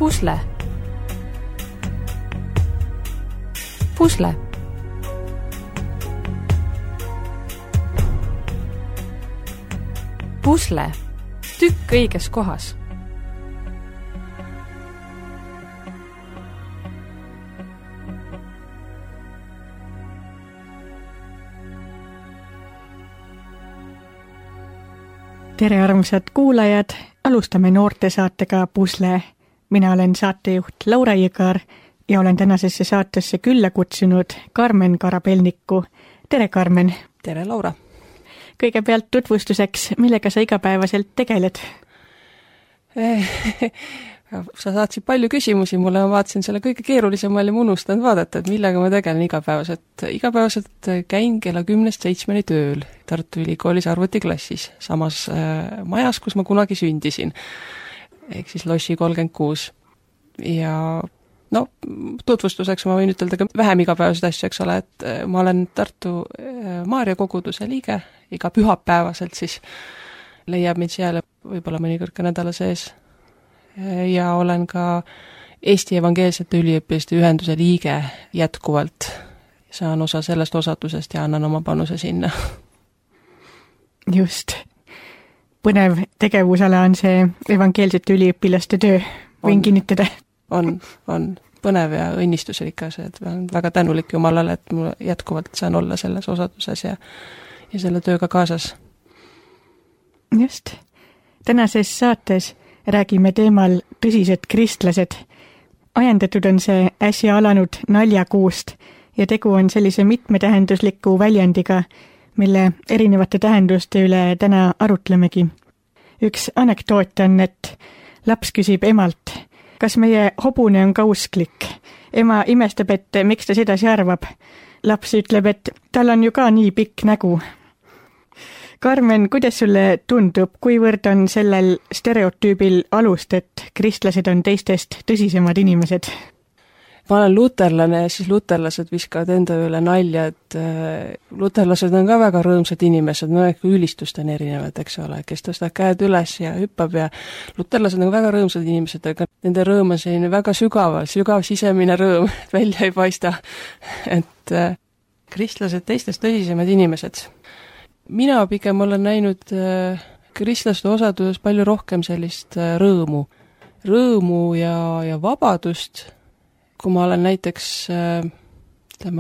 Pusle. Pusle. Pusle. Tükk õiges kohas. Tere armsad kuulajad, alustame noortesaatega Pusle. Mina olen saatejuht Laura Jõgar ja olen tänasesse saatesse külla kutsunud Karmen Karabelniku. Tere, Karmen! Tere, Laura! Kõigepealt tutvustuseks, millega sa igapäevaselt tegeled? Sa saatsid palju küsimusi mulle, ma vaatasin selle kõige keerulisema ja ma unustanud vaadata, et millega ma tegelen igapäevaselt. Igapäevaselt käin kella 10-7 tööl Tartu Ülikoolis arvutiklassis, samas majas, kus ma kunagi sündisin, ehk siis Lossi 36. Ja no, tutvustuseks ma võin ütelda ka vähem igapäevaseid asju, eks ole, et ma olen Tartu Maarja koguduse liige, iga pühapäevaselt siis leiab mind seal võib-olla mõnikord ka nädala sees. Ja olen ka Eesti Evangeelsete Üliõpilaste Ühenduse liige jätkuvalt. Saan osa sellest osatusest ja annan oma panuse sinna. Just. Põnev tegevusala on see Evangeelsete Üliõpilaste töö. Võin kinnitada. On põnev ja õnnistusrikas, et olen väga tänulik Jumalale, et mul jätkuvalt saan olla selles osatuses ja selle tööga kaasas. Just. Tänases saates räägime teemal tõsised kristlased. Ajendatud on see äsja alanud naljakuust ja tegu on sellise mitmetähendusliku väljendiga, mille erinevate tähenduste üle täna arutlemegi. Üks anekdoot on, et laps küsib emalt, kas meie hobune on kausklik. Ema imestab, et miks ta sedasi arvab. Laps ütleb, et tal on ju ka nii pikk nägu. Karmen, kuidas sulle tundub, kuivõrd on sellel stereotüübil alust, et kristlased on teistest tõsisemad inimesed? Ma olen luterlane ja siis luterlased viskavad enda üle nalja, et luterlased on ka väga rõõmsad inimesed, no ülistust on erinevad, eks ole, kes tõstab käed üles ja hüppab ja luterlased on väga rõõmsad inimesed, aga nende rõõm on selline väga sügav sisemine rõõm, välja ei paista, et kristlased teistest tõsisemad inimesed. Mina pigem olen näinud kristlaste osaduses palju rohkem sellist rõõmu ja vabadust. Kui ma olen näiteks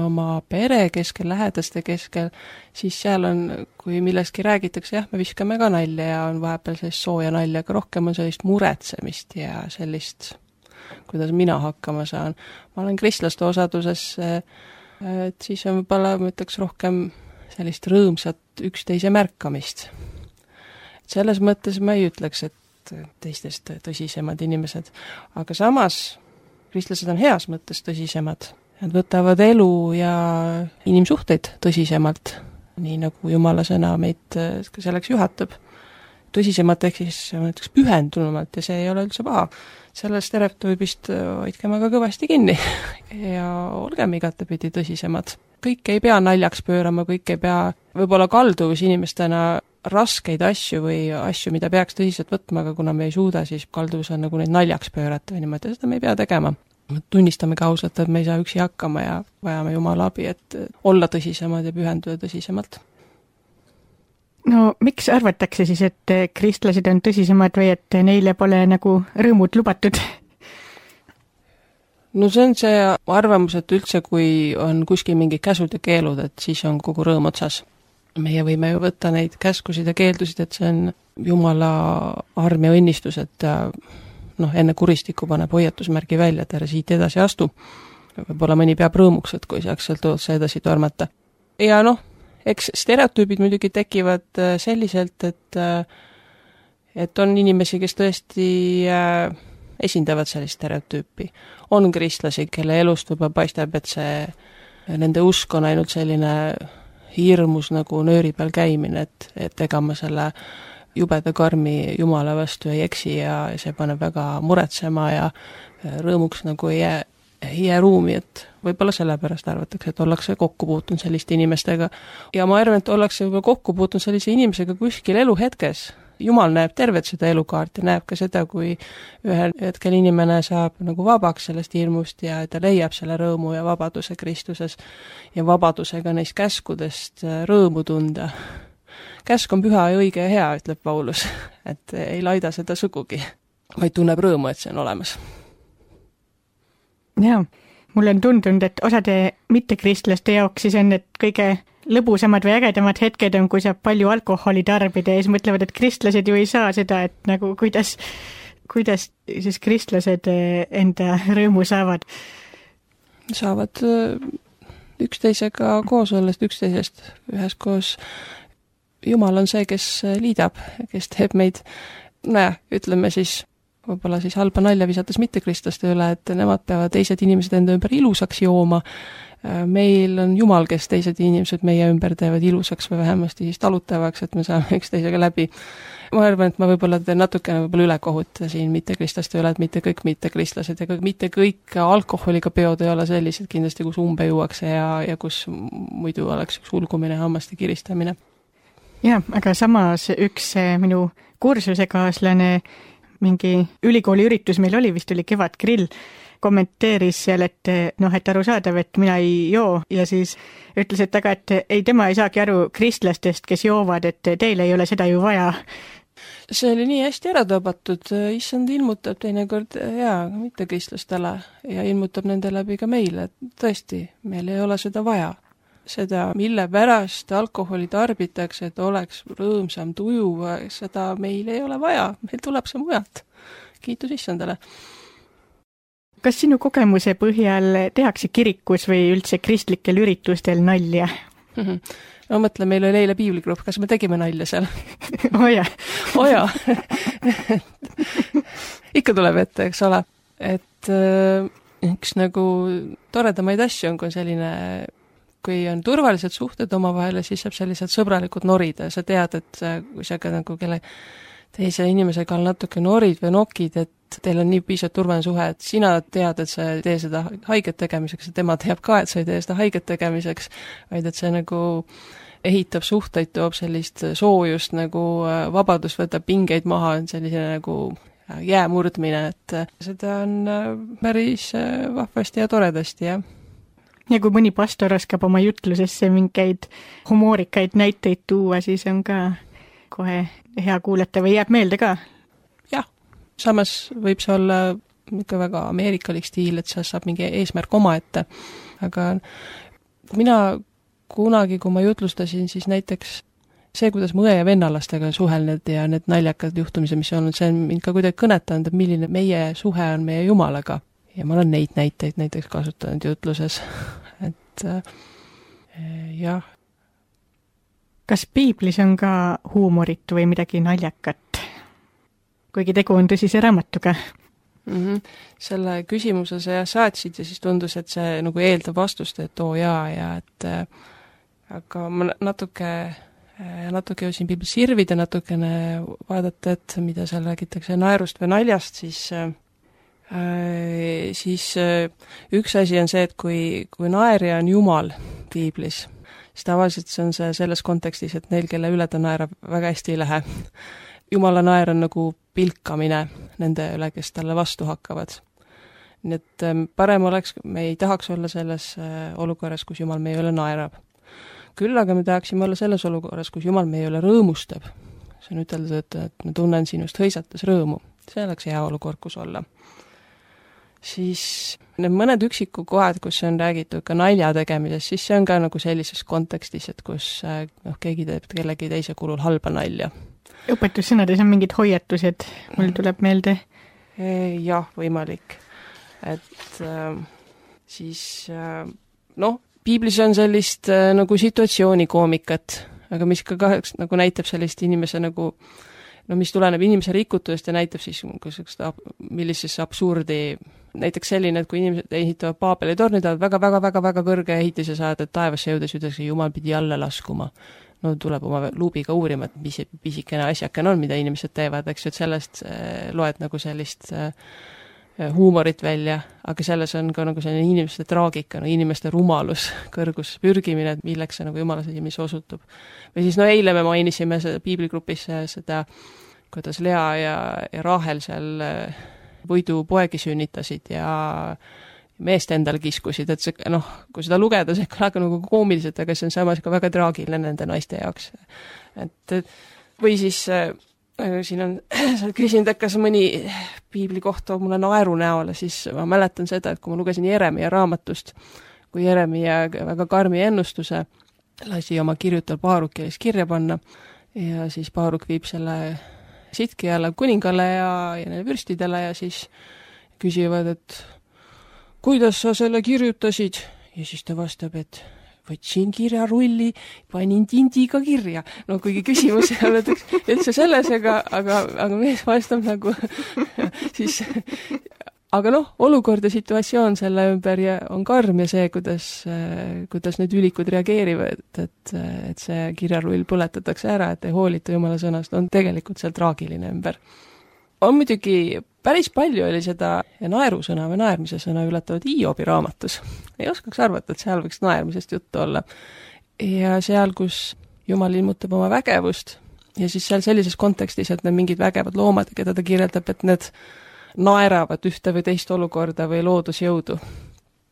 oma pere keskel, lähedaste keskel, siis seal on, kui millestki räägitakse, jah, me viskame ka nalja ja on vahepeal sellist sooja nalja, aga rohkem on sellist muretsemist ja sellist, kuidas mina hakkama saan. Ma olen kristlaste osaduses, et siis on võib-olla, ma ütleks, rohkem sellist rõõmsat üksteise märkamist. Selles mõttes ma ei ütleks, et teistest tõsisemad inimesed, aga samas kristlased on heas mõttes tõsisemad. Nad võtavad elu ja inimsuhteid tõsisemalt, nii nagu Jumala sõna meid selleks juhatab. Tõsisemalt ehk siis pühendunumalt ja see ei ole üldse paha. Sellest stereotüübist hoidkem aga kõvasti kinni ja olgem igatepidi tõsisemad. Kõik ei pea naljaks pöörama, kõik ei pea võib-olla kalduvus inimestena raskeid asju või asju, mida peaks tõsiselt võtma, aga kuna me ei suuda, siis kalduvus on nagu neid naljaks pöörata või niimoodi, seda me ei pea tegema. Tunnistame ka ausalt, et me ei saa üksi hakkama ja vajame Jumala abi, et olla tõsisemad ja pühenduda tõsisemalt. No miks arvatakse siis, et kristlased on tõsisemad või et neile pole nagu rõõmud lubatud? No see on see arvamus, et üldse kui on kuskil mingid käsud ja keelud, et siis on kogu rõõm otsas. Meie võime ju võtta neid käskusid ja keeldusid, et see on Jumala arm ja õnnistus, et enne kuristiku paneb hoiatusmärgi välja, et ära siit edasi astu. Võib-olla mõni peab rõõmuks, et kui saaks sealt otsa edasi tormata. Ja eks stereotüübid muidugi tekivad selliselt, et on inimesi, kes tõesti esindavad sellist stereotüüpi. On kristlasi, kelle elust võib-olla paistab, et nende usk on ainult selline hirmus nagu nööri peal käimine, et ega ma selle jubeda karmi Jumala vastu ei eksi ja see paneb väga muretsema ja rõõmuks nagu ei jää ruumi, et võib-olla sellepärast arvatakse, et ollakse kokku puutunud selliste inimestega. Ja ma arvan, et ollakse võib-olla kokku puutunud sellise inimesega kuskil eluhetkes, Jumal näeb tervet seda elukaart ja näeb ka seda, kui ühel hetkel inimene saab nagu vabaks sellest hirmust ja ta leiab selle rõõmu ja vabaduse Kristuses ja vabadusega neist käskudest rõõmu tunda. Käsk on püha ja õige ja hea, ütleb Paulus, et ei laida seda sugugi, vaid tunneb rõõmu, et see on olemas. Jaa, mulle on tundunud, et osade mittekristlaste jaoks siis on need kõige lõbusamad või ägedamad hetked on, kui saab palju alkoholi tarbida ja siis mõtlevad, et kristlased ju ei saa seda, et nagu kuidas siis kristlased enda rõõmu saavad? Saavad üksteisega koos ollest, üksteisest üheskoos. Jumal on see, kes liidab, kes teeb meid, ütleme siis, võib-olla siis halba nalja visates mittekristlaste üle, et nemad peavad teised inimesed enda ümber ilusaks jooma. Meil on Jumal, kes teised inimesed meie ümber teevad ilusaks või vähemasti siis talutavaks, et me saame üksteisega läbi. Ma arvan, et ma võib-olla teen natukene ülekohut siin mittekristlaste üle, et mitte kõik mittekristlased ja mitte kõik alkoholiga peod ei ole sellised kindlasti, kus umbe juuakse ja kus muidu oleks üks ulgumine, hammaste kiristamine. Jah, aga samas üks minu kursusekaaslane, mingi ülikooli üritus meil oli, vist oli Kevadgrill, kommenteeris seal, et arusaadav, et mina ei joo ja siis ütles, et tema ei saagi aru kristlastest, kes joovad, et teil ei ole seda ju vaja. See oli nii hästi ära tõbatud, issand ilmutab teinekord mittekristlastele ja ilmutab nende läbi ka meile, et tõesti, meil ei ole seda vaja. Seda, mille pärast alkoholi tarbitakse, et oleks rõõmsam tuju, seda meil ei ole vaja, meil tuleb see mujalt. Kiitus issandale. Kas sinu kogemuse põhjal tehakse kirikus või üldse kristlikel üritustel nalja? Ma mõtlen, meil oli eile piibligrupp, kas me tegime nalja seal? Oja. Ikka tuleb ette, eks ole. Et üks nagu toredamaid asju on, kui selline, kui on turvalised suhted omavahel, siis saab sellised sõbralikud norida. Sa tead, et kui sa ka nagu kelle teise inimesega natuke norid või nokid, et teil on nii piisavalt turvaline suhe, et sina tead, et sa ei tee seda haiget tegemiseks ja tema teab ka, et sa ei tee seda haiget tegemiseks, vaid et see nagu ehitab suhteid, toob sellist soojust, nagu vabadus võtab pingeid maha, on sellise nagu jäämurdmine, et seda on päris vahvasti ja toredasti, jah. Ja kui mõni pastor oskab oma jutlusesse mingeid humoorikaid näiteid tuua, siis on ka kohe hea kuulata või jääb meelde ka? Jah, samas võib see olla ikka väga ameerikalik stiil, et see saab mingi eesmärk oma ette. Aga mina kunagi, kui ma jutlustasin, siis näiteks see, kuidas mu õe ja vennalastega suhelnud ja need naljakad juhtumised, mis on olnud, see on mind ka kuidagi kõnetanud, et milline meie suhe on meie Jumalaga. Ja ma olen neid näiteid näiteks kasutanud jutluses. Et jah. Kas piiblis on ka huumorit või midagi naljakat? Kuigi tegu on tõsise raamatuga. Selle küsimuse sa saatsid ja siis tundus, et see nagu eeldab vastust, et ja et aga ma natuke jõudsin piiblis sirvida, natukene vaadata, et mida seal räägitakse naerust või naljast, siis üks asi on see, et kui naerja on Jumal piiblis, siis tavaliselt see on see selles kontekstis, et neil, kelle üle ta naerab, väga hästi ei lähe. Jumala naer on nagu pilkamine nende üle, kes talle vastu hakkavad. Nii et parem oleks, me ei tahaks olla selles olukorras, kus Jumal meie üle naerab. Küll aga me tahaksime olla selles olukorras, kus Jumal meie üle rõõmustab. See on ütelda, et ma tunnen sinust hõisates rõõmu. See oleks hea olukord, kus olla. Siis need mõned üksiku kohad, kus on räägitud ka nalja tegemises, siis see on ka nagu sellises kontekstis, et kus keegi teeb kellegi teise kulul halba nalja. Õpetussõnades on mingid hoiatused, mul tuleb meelde. Jah, võimalik. Et siis piiblis on sellist nagu situatsioonikomikat, aga mis ka kahjuks nagu näitab sellist inimese nagu mis tuleneb inimese rikutusest ja näitab siis millisesse absurdi, näiteks selline, et kui inimesed ehitavad Paabeli torni, tahavad väga kõrge ehitise saada, et taevasse jõudes ütleks, Jumal pidi alla laskuma. No tuleb oma luubiga uurima, et mis pisikene asjakene on, mida inimesed teevad, eks ju, et sellest loed nagu sellist huumorit välja, aga selles on ka nagu selline inimeste traagika, inimeste rumalus, kõrgus pürgimine, et milleks see nagu Jumala silmis osutub. Või siis eile me mainisime piibligrupis seda kuidas Lea ja Rahel seal võidupoegi sünnitasid ja meest endale kiskusid, et see, kui seda lugeda, see kõlab nagu koomiliselt, aga see on samas ka väga traagiline nende naiste jaoks. Et või siis siin on, sa küsinud, et kas mõni piibli koht toob mulle naeru näole, siis ma mäletan seda, et kui ma lugesin Jeremia raamatust, kui Jeremia väga karmi ennustuse lasi oma kirjutajal Baarukile kirja panna ja siis Baaruk viib selle Sidkiale kuningale ja neile vürstidele ja siis küsivad, et kuidas sa selle kirjutasid? Ja siis ta vastab, et võtsin kirjarulli, panin tindiga kirja. No kuigi küsimus ei ole üldse selles, aga mees vastab nagu siis, aga olukord ja situatsioon selle ümber on karm ja see, kuidas need ülikud reageerivad, et see kirjarull põletatakse ära, et ei hoolita Jumala sõnast, on tegelikult seal traagiline ümber. On muidugi päris palju oli seda naerusõna või naermise sõna ületavad Hiobi raamatus. Ei oskaks arvata, et seal võiks naermisest juttu olla. Ja seal, kus Jumal ilmutab oma vägevust ja siis seal sellises kontekstis, et need mingid vägevad loomad, keda ta kirjeldab, et need naeravad ühte või teist olukorda või loodusjõudu.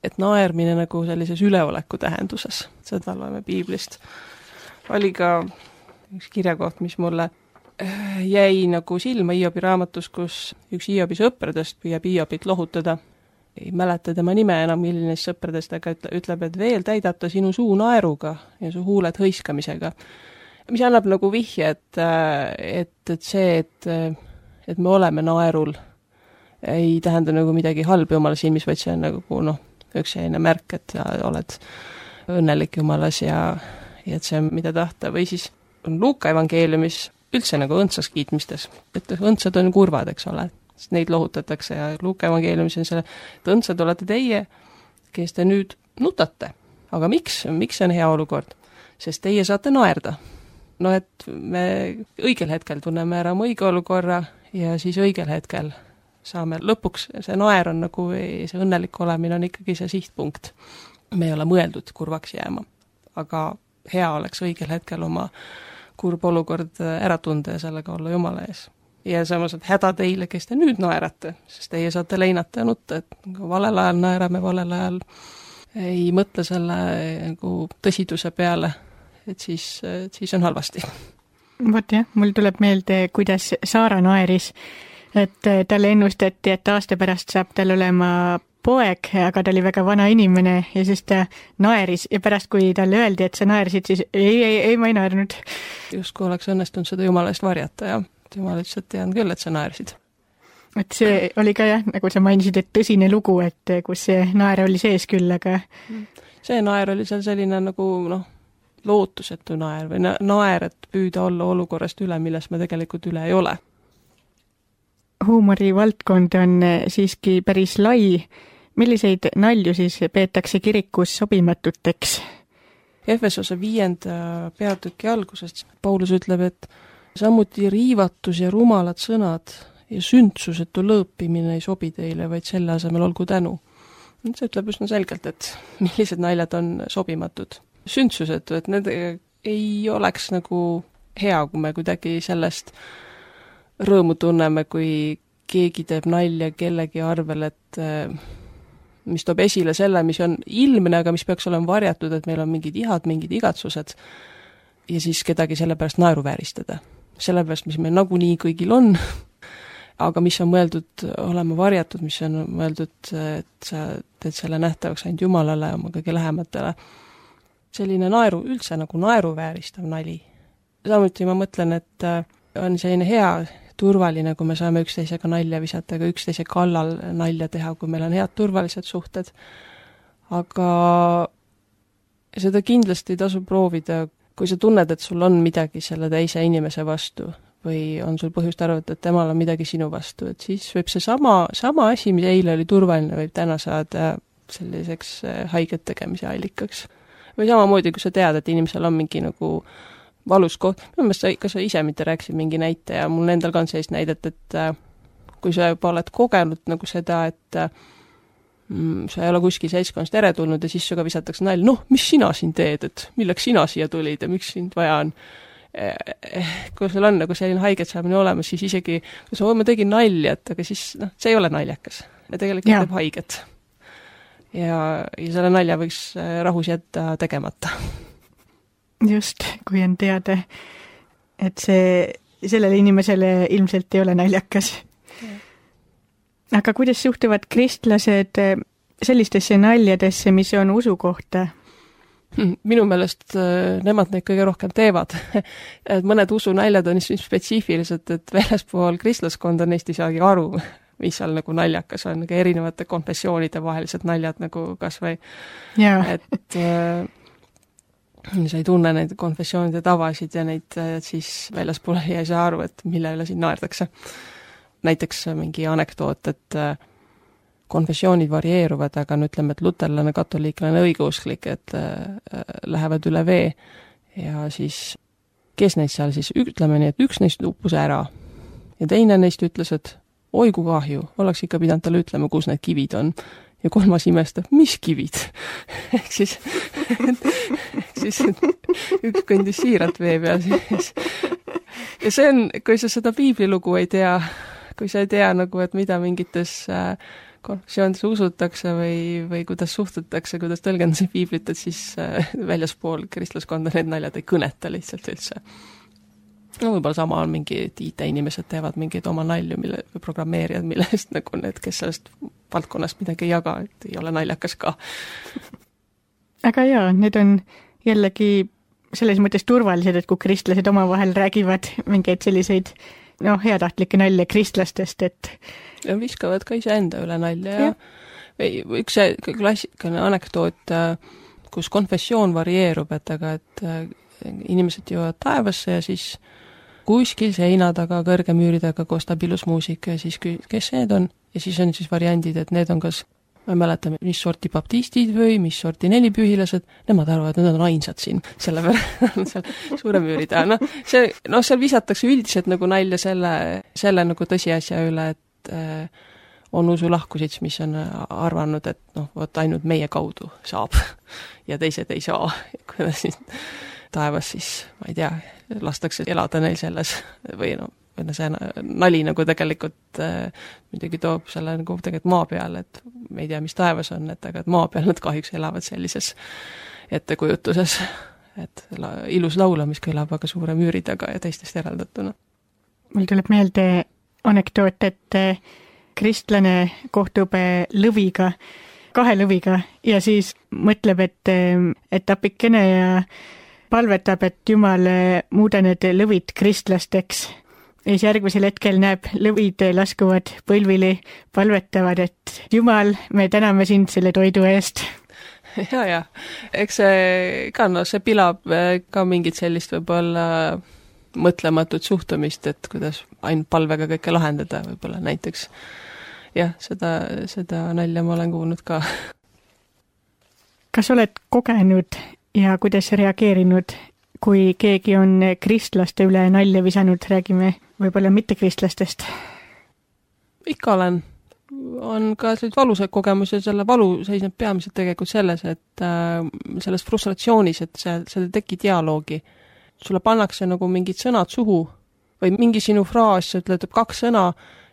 Et naermine nagu sellises üleoleku tähenduses. Seda loeme piiblist. Oli ka üks kirjakoht, mis mulle jäi nagu silma Hiobi raamatus, kus üks Hiobi sõpradest püüab Hiobit lohutada. Ei mäleta tema nime enam, milline sõpradest, aga ütleb, et veel täidab ta sinu suu naeruga ja su huuled hõiskamisega. Mis annab nagu vihje, et see, et me oleme naerul, ei tähenda nagu midagi halba Jumala silmis, vaid see on nagu üks selline märk, et sa oled õnnelik Jumalas ja et see on mida tahta. Või siis on Luuka evangeeliumis üldse nagu õndsaks kiitmistes, et õndsad on kurvad, eks ole, sest neid lohutatakse ja Luuka evangeeliumis on selle, et õndsad olete teie, kes te nüüd nutate. Aga miks see on hea olukord? Sest teie saate naerda. Et me õigel hetkel tunneme ära oma õige olukorra ja siis õigel hetkel saame lõpuks, see naer on nagu, see õnnelik olemine on ikkagi see sihtpunkt. Me ei ole mõeldud kurvaks jääma, aga hea oleks õigel hetkel oma kurb olukord ära tunda ja sellega olla Jumala ees. Ja samas, et häda teile, kes te nüüd naerate, sest teie saate leinata ja nutta, et valel ajal naerame, valel ajal ei mõtle selle nagu tõsiduse peale, et siis on halvasti. Vot jah, mul tuleb meelde, kuidas Saara naeris, et talle ennustati, et aasta pärast saab tal olema poeg, aga ta oli väga vana inimene ja siis ta naeris ja pärast, kui talle öeldi, et sa naersid, siis ei, ma ei naernud. Just kui oleks õnnestunud seda Jumala eest varjata ja Jumal ütles, et tean küll, et sa naersid. Et see oli ka jah, nagu sa mainisid, et tõsine lugu, et kus see naer oli sees küll, aga see naer oli seal selline nagu lootusetu naer või naer, et püüda olla olukorrast üle, milles me tegelikult üle ei ole. Huumori valdkond on siiski päris lai. Milliseid nalju siis peetakse kirikus sobimatuteks? Efesose 5. peatüki algusest Paulus ütleb, et samuti riivatus ja rumalad sõnad ja sündsusetu lõõpimine ei sobi teile, vaid selle asemel olgu tänu. See ütleb üsna selgelt, et millised naljad on sobimatud. Sündsusetu, et need ei oleks nagu hea, kui me kuidagi sellest rõõmu tunneme, kui keegi teeb nalja kellegi arvel, et mis toob esile selle, mis on ilmne, aga mis peaks olema varjatud, et meil on mingid ihad, mingid igatsused ja siis kedagi selle pärast naeruvääristada. Selle pärast, mis meil nagunii kõigil on, aga mis on mõeldud olema varjatud, mis on mõeldud, et sa teed selle nähtavaks ainult Jumalale, oma kõige lähematele. Selline üldse nagu naeruvääristav nali. Samuti ma mõtlen, et on selline hea turvaline, kui me saame üksteisega nalja visata, aga üksteise kallal nalja teha, kui meil on head turvalised suhted. Aga seda kindlasti tasub proovida, kui sa tunned, et sul on midagi selle teise inimese vastu või on sul põhjust arvata, et temal on midagi sinu vastu, et siis võib see sama asi, mis eile oli turvaline, võib täna saada selliseks haiget tegemise allikaks. Või samamoodi, kui sa tead, et inimesel on mingi nagu valus koht. Minu meelest ka sa ise mitte rääkisid mingi näite ja mul endal ka on sellist näidet, et kui sa juba oled kogenud nagu seda, et sa ei ole kuskil seltskonnast eretulnud ja siis suga visatakse nalja, mis sina siin teed, et milleks sina siia tulid ja miks sind vaja on. kui sul on nagu selline haiget saamine olemas, siis isegi, kui ma tegin nalja, et aga siis see ei ole naljakas. Ja tegelikult teeb haiget. Ja selle nalja võiks rahus jätta tegemata. Just, kui on teada, et sellele inimesele ilmselt ei ole naljakas. Aga kuidas suhtuvad kristlased sellistesse naljadesse, mis on usu kohta? Minu meelest nemad neid kõige rohkem teevad. Et mõned usunaljad on spetsiifilised, et väljaspool kristlaskonda neist ei saagi aru, mis seal nagu naljakas on, nagu erinevate konfessioonide vahelised naljad nagu kas või. Et sa ei tunne neid konfessioonide tavasid ja neid siis väljaspool ei saa aru, et mille üle siin naerdakse. Näiteks mingi anekdoot, et konfessioonid varieeruvad, aga ütleme, et luterlane, katoliiklane, õigeusklik, et lähevad üle vee ja siis kes neist seal siis, ütleme nii, et üks neist uppus ära ja teine neist ütles, et oi kui kahju, oleks ikka pidanud talle ütlema, kus need kivid on. Ja kolmas imestab, mis kivid? Ehk siis üks kõndis siiralt vee peal. Ja see on, kui sa seda piiblilugu ei tea, kui sa ei tea nagu, et mida mingites konfessioonides usutakse või kuidas suhtutakse, kuidas tõlgendatakse piiblit, et siis väljaspool kristlaskonda need naljad ei kõneta lihtsalt üldse. No võib-olla sama on mingi IT-inimesed teevad mingeid oma nalju, või programmeerijad, millest nagu need, kes sellest valdkonnast midagi ei jaga, et ei ole naljakas ka. Aga jaa, need on jällegi selles mõttes turvalised, et kui kristlased omavahel räägivad mingeid selliseid heatahtlikke nalja kristlastest, et ja viskavad ka iseenda üle nalja ja üks klassikaline anekdoot, kus konfessioon varieerub, et inimesed jõuavad taevasse ja siis kuskil seina taga, kõrge müüri taga kostab ilus muusika ja siis kes need on? Ja siis on siis variandid, et need on kas, ma ei mäleta, mis sorti baptistid või mis sorti nelipühilased, nemad arvavad, et need on ainsad siin, selle peale seal suure müüri taha. Seal visatakse üldiselt nagu nalja selle nagu tõsiasja üle, et on usulahkusid, mis on arvanud, et võt ainult meie kaudu saab ja teised ei saa. Kuidas siis taevas siis, ma ei tea, lastakse elada neil selles või see nali nagu tegelikult midagi toob selle nagu tegelikult maa peal, et me ei tea, mis taevas on, aga maa peal nad kahjuks elavad sellises ettekujutuses, et ilus laula, mis kõlab aga suure müüri taga ja teistest eraldatuna. Mul tuleb meelde anekdoot, et kristlane kohtub lõviga, 2 lõviga ja siis mõtleb, et apikene ja palvetab, et Jumal muuda need lõvid kristlasteks. Ja siis järgmisel hetkel näeb, lõvid laskuvad põlvili, palvetavad, et Jumal, me täname sind selle toidu eest. Ja. Eks see ka, see pilab ka mingit sellist võib-olla mõtlematut suhtumist, et kuidas ainult palvega kõike lahendada võib-olla näiteks. Jah, seda nalja ma olen kuulnud ka. Kas oled kogenud ja kuidas reageerinud, kui keegi on kristlaste üle nalja visanud, räägime võib-olla mitte kristlastest? Ikka olen. On ka sellised valusad kogemus ja selle valu seisneb peamiselt tegelikult selles, et selles frustratsioonis, et see teki dialoogi. Sulle pannakse nagu mingid sõnad suhu või mingi sinu fraas, ütleb 2 sõna,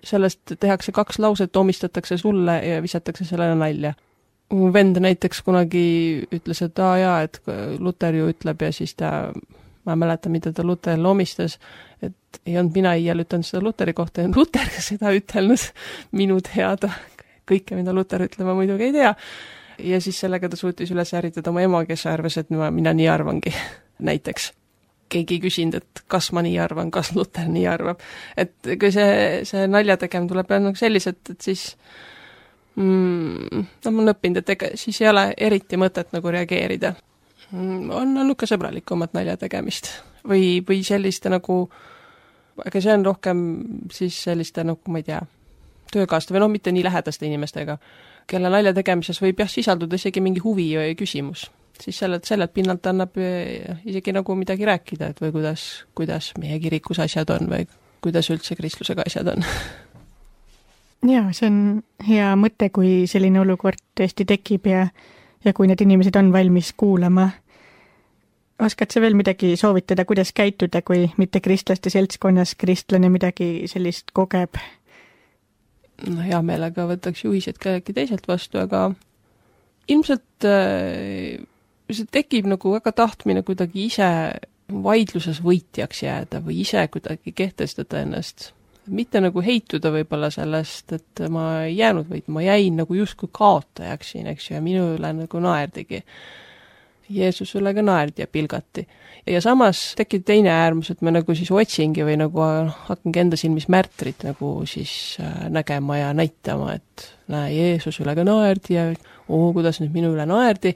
sellest tehakse 2 lauset, omistatakse sulle ja visatakse sellele nalja. Mu vend näiteks kunagi ütles, et et Luter ju ütleb ja siis ma ei mäleta, mida ta Luterile omistas, et ei olnud mina iial ütelnud seda Luteri kohta ja Luter seda ütelnud minu teada. Kõike, mida Luter ütleb, ma muidugi ei tea. Ja siis sellega ta suutis üles ärritada oma ema, kes arvas, et mina nii arvangi näiteks. Keegi ei küsinud, et kas ma nii arvan, kas Luter nii arvab. Et kui see nalja tegema tuleb sellised, et siis ma olen õppinud, et siis ei ole eriti mõtet nagu reageerida. On ka sõbralikumat nalja tegemist. Või selliste nagu, aga see on rohkem siis selliste nagu, ma ei tea, töökaaste või mitte nii lähedaste inimestega, kelle nalja tegemises võib sisalduda isegi mingi huvi või küsimus. Siis sellelt pinnalt annab isegi nagu midagi rääkida, et või kuidas meie kirikus asjad on või kuidas üldse kristlusega asjad on. Jaa, see on hea mõte, kui selline olukord tõesti tekib ja kui need inimesed on valmis kuulama. Oskad sa veel midagi soovitada, kuidas käituda, kui mitte kristlaste seltskonnas kristlane midagi sellist kogeb? No hea meelega võtaks juhised kellelgi teiselt vastu, aga ilmselt see tekib nagu väga tahtmine kuidagi ise vaidluses võitjaks jääda või ise kuidagi kehtestada ennast. Mitte nagu heituda võib-olla sellest, et ma ei jäänud võit, ma jäin nagu justkui kaotajaks siin, eks ju, ja minu üle nagu naerdigi. Jeesus üle ka naerdi ja pilgati. Ja samas tekib teine äärmus, et ma nagu siis otsingi või nagu hakkangi enda silmis märtrit nagu siis nägema ja näitama, et näe, Jeesus üle ka naerdi ja kuidas nüüd minu üle naerdi.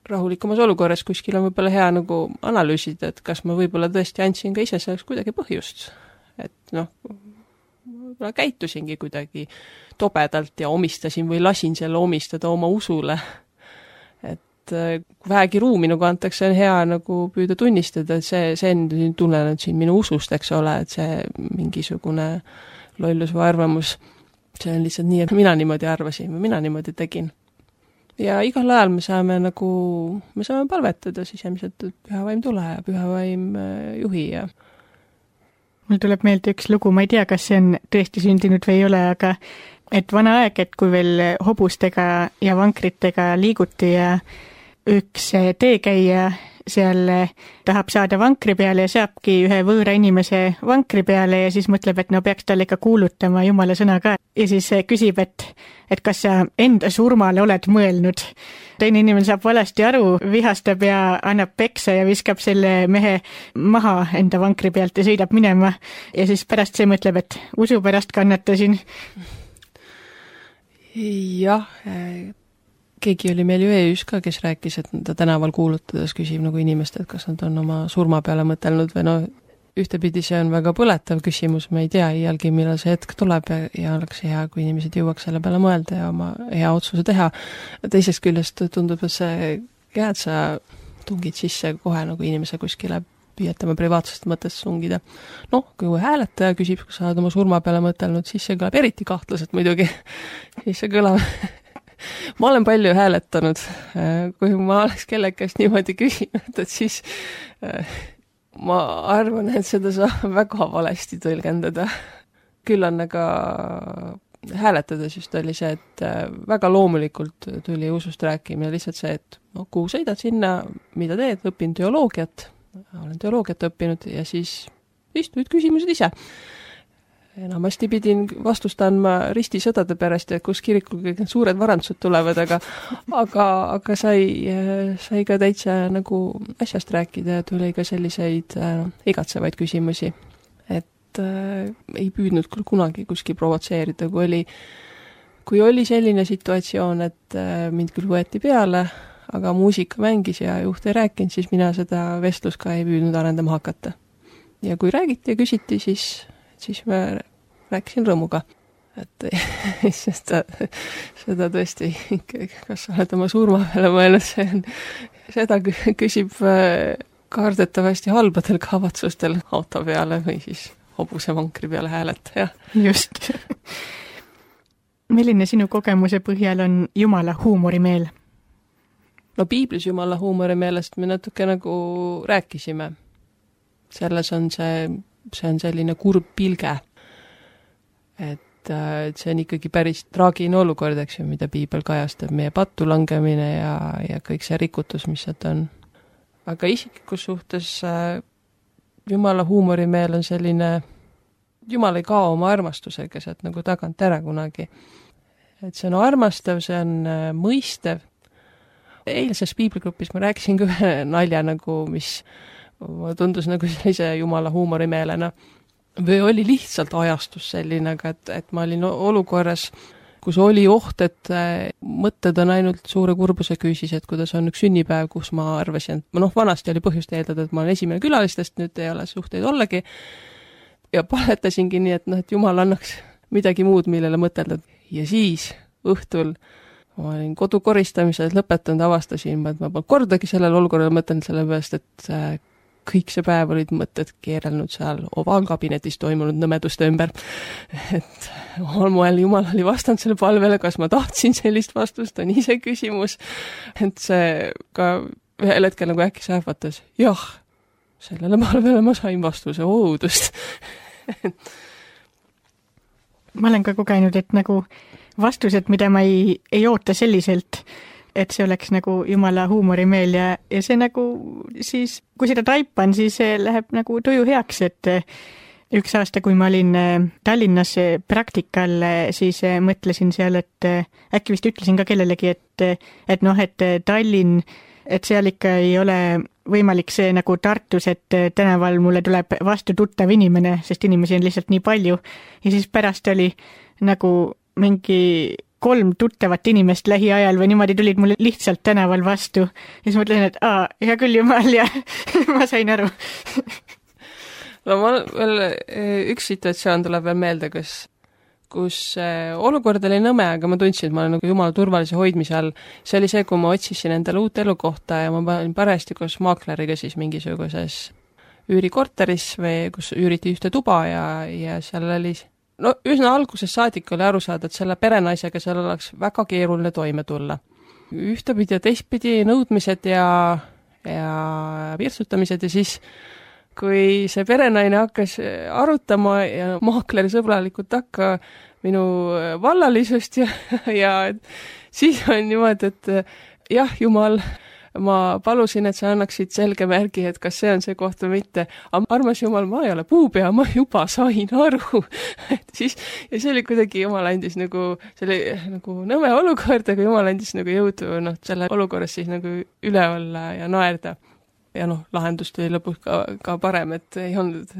Rahulikumas olukorras kuskil on võib-olla hea nagu analüüsida, et kas ma võib-olla tõesti andsin ka ise selleks kuidagi põhjust. Et võib-olla käitusingi kuidagi tobedalt ja omistasin või lasin selle omistada oma usule. Kui vähegi ruumi nagu antakse, on hea nagu püüda tunnistada, et see on tunnenud siin minu usust, eks ole, et see mingisugune lollus või arvamus, see on lihtsalt nii, et mina niimoodi arvasin või mina niimoodi tegin. Ja igal ajal me saame palvetada sisemiselt, et püha vaim tule ja püha vaim juhi ja mul tuleb meelde üks lugu, ma ei tea, kas see on tõesti sündinud või ei ole, aga et vana aeg, et kui veel hobustega ja vankritega liiguti ja üks teekäija seal tahab saada vankri peale ja saabki ühe võõra inimese vankri peale ja siis mõtleb, et no peaks talle ikka kuulutama Jumala sõna ka. Ja siis küsib, et kas sa enda surmale oled mõelnud. Teine inimene saab valesti aru, vihastab ja annab peksa ja viskab selle mehe maha enda vankri pealt ja sõidab minema. Ja siis pärast see mõtleb, et usu pärast kannatasin. Jah, keegi oli meil ju EÜs ka, kes rääkis, et ta tänaval kuulutades küsib nagu inimest, et kas nad on oma surma peale mõtelnud või ühtepidi see on väga põletav küsimus, ma ei tea iialgi, millal see hetk tuleb ja oleks hea, kui inimesed jõuaks selle peale mõelda ja oma hea otsuse teha. Teisest küljest tundub, et see et sa tungid sisse kohe nagu inimese kuskile püüetama privaatsest mõttest sungida. Kui hääletaja küsib, kas sa oled oma surma peale mõtelnud, siis see kõlab eriti kahtlaselt muidugi. Siis see kõlab ma olen palju hääletanud, kui ma oleks kellekast niimoodi küsinud, et siis ma arvan, et seda saab väga valesti tõlgendada. Küll on aga hääletades just oli see, et väga loomulikult tuli usust rääkimine, lihtsalt see, et kuhu sõidad sinna, mida teed, õpin teoloogiat, olen teoloogiat õppinud ja siis istuid küsimused ise. Enamasti pidin vastust andma ristisõdade pärast, et kus kirikul kõik need suured varandused tulevad, aga sai ka täitsa nagu asjast rääkida ja tuli ka selliseid igatsevaid küsimusi. Et ei püüdnud küll kunagi kuskil provotseerida, kui oli selline situatsioon, et mind küll võeti peale, aga muusika mängis ja juht ei rääkinud, siis mina seda vestlust ka ei püüdnud arendama hakata. Ja kui räägiti ja küsiti, siis ma rääkisin rõõmuga, et seda tõesti, kas sa oled oma surma peale mõelnud, seda küsib kardetavasti halbadel kavatsustel auto peale või siis hobuse vankri peale hääletaja. Just. Milline sinu kogemuse põhjal on Jumala huumorimeel? Piiblis Jumala huumorimeelest me natuke nagu rääkisime. Selles on see on selline kurb pilge, et see on ikkagi päris traagine olukord, eks ju, mida piibel kajastab, meie pattu langemine ja kõik see rikutus, mis sealt on. Aga isiklikus suhtes Jumala huumorimeel on selline, Jumal ei kao oma armastusega sealt nagu tagant ära kunagi. Et see on armastav, see on mõistev. Eilses piibligrupis ma rääkisin ka ühe nalja nagu, mis tundus nagu sellise Jumala huumorimeelena. Või oli lihtsalt ajastus selline, et ma olin olukorras, kus oli oht, et mõtted on ainult suure kurbuse küüsis, et kuidas on üks sünnipäev, kus ma arvasin, vanasti oli põhjust eeldada, et ma olen esimene külalistest, nüüd ei ole suhteid ollegi. Ja paletasingi nii, et Jumal annaks midagi muud, millele mõtelda. Ja siis õhtul ma olin kodu koristamisel lõpetanud, avastasin, et ma kordagi sellele olukorrale mõtlen selle peast, et kõik see päev olid mõtted keerelnud seal ovaalkabinetis toimunud nõmeduste ümber. Et omal moel Jumal oli vastanud selle palvele, kas ma tahtsin sellist vastust, on ise küsimus. Et see ka ühel hetkel nagu äkki sähvatas, jah, sellele peale ma sain vastuse oodust. Ma olen ka kogenud, et nagu vastused, mida ma ei oota selliselt, et see oleks nagu jumala huumorimeel ja see nagu siis, kui seda taipan, siis see läheb nagu tuju heaks, et üks aasta, kui ma olin Tallinnas praktikal, siis mõtlesin seal, et äkki vist ütlesin ka kellelegi, et noh, et Tallinn, et seal ikka ei ole võimalik see nagu Tartus, et tänaval mulle tuleb vastu tuttav inimene, sest inimesi on lihtsalt nii palju. Ja siis pärast oli nagu mingi 3 tuttavat inimest lähiajal või niimoodi tulid mulle lihtsalt tänaval vastu. Ja siis mõtlesin, et hea küll jumal ja ma sain aru. No ma veel üks situatsioon tuleb veel meelde, kus olukord oli nõme, aga ma tundsin, et ma olen nagu jumala turvalise hoidmise all. See oli see, kui ma otsisin endale uut elukohta ja ma olin parajasti koos maakleriga siis mingisuguses üürikorteris või kus üüriti ühte tuba ja seal oli, no üsna alguses saadik oli aru saada, et selle perenaisega seal oleks väga keeruline toime tulla. Ühtepidi ja teistpidi nõudmised ja virtsutamised ja siis kui see perenaine hakkas arutama ja maakleri sõbralikult takka minu vallalisust ja siis on niimoodi, et jah, jumal, ma palusin, et sa annaksid selge märgi, et kas see on see koht või mitte. Aga armas jumal, ma ei ole puupea, ma juba sain aru. Ja see oli kuidagi, jumal andis nagu, see oli nagu nõme olukord, aga jumal andis nagu jõudu selle olukorras siis nagu üle olla ja naerda. Ja lahendus tuli lõpuks ka parem, et ei olnud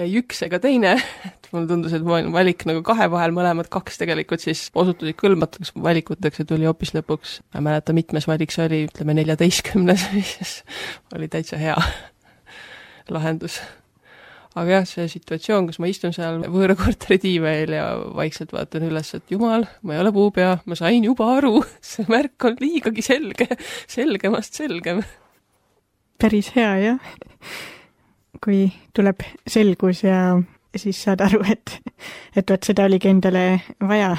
ei üks ega teine. Et mulle tundus, et ma olin valik nagu 2 vahel, mõlemad 2 tegelikult siis osutusid kõlbmatuks valikuteks ja tuli hoopis lõpuks. Ma ei mäleta, mitmes valik see oli, ütleme 14, mis oli täitsa hea lahendus. Aga jah, see situatsioon, kus ma istun seal võõra korteri tiivel ja vaikselt vaatan üles, et jumal, ma ei ole puupea, ma sain juba aru, see märk on liigagi selgemast selgem. Päris hea, jah. Kui tuleb selgus ja siis saad aru, et võt seda oligi endale vaja.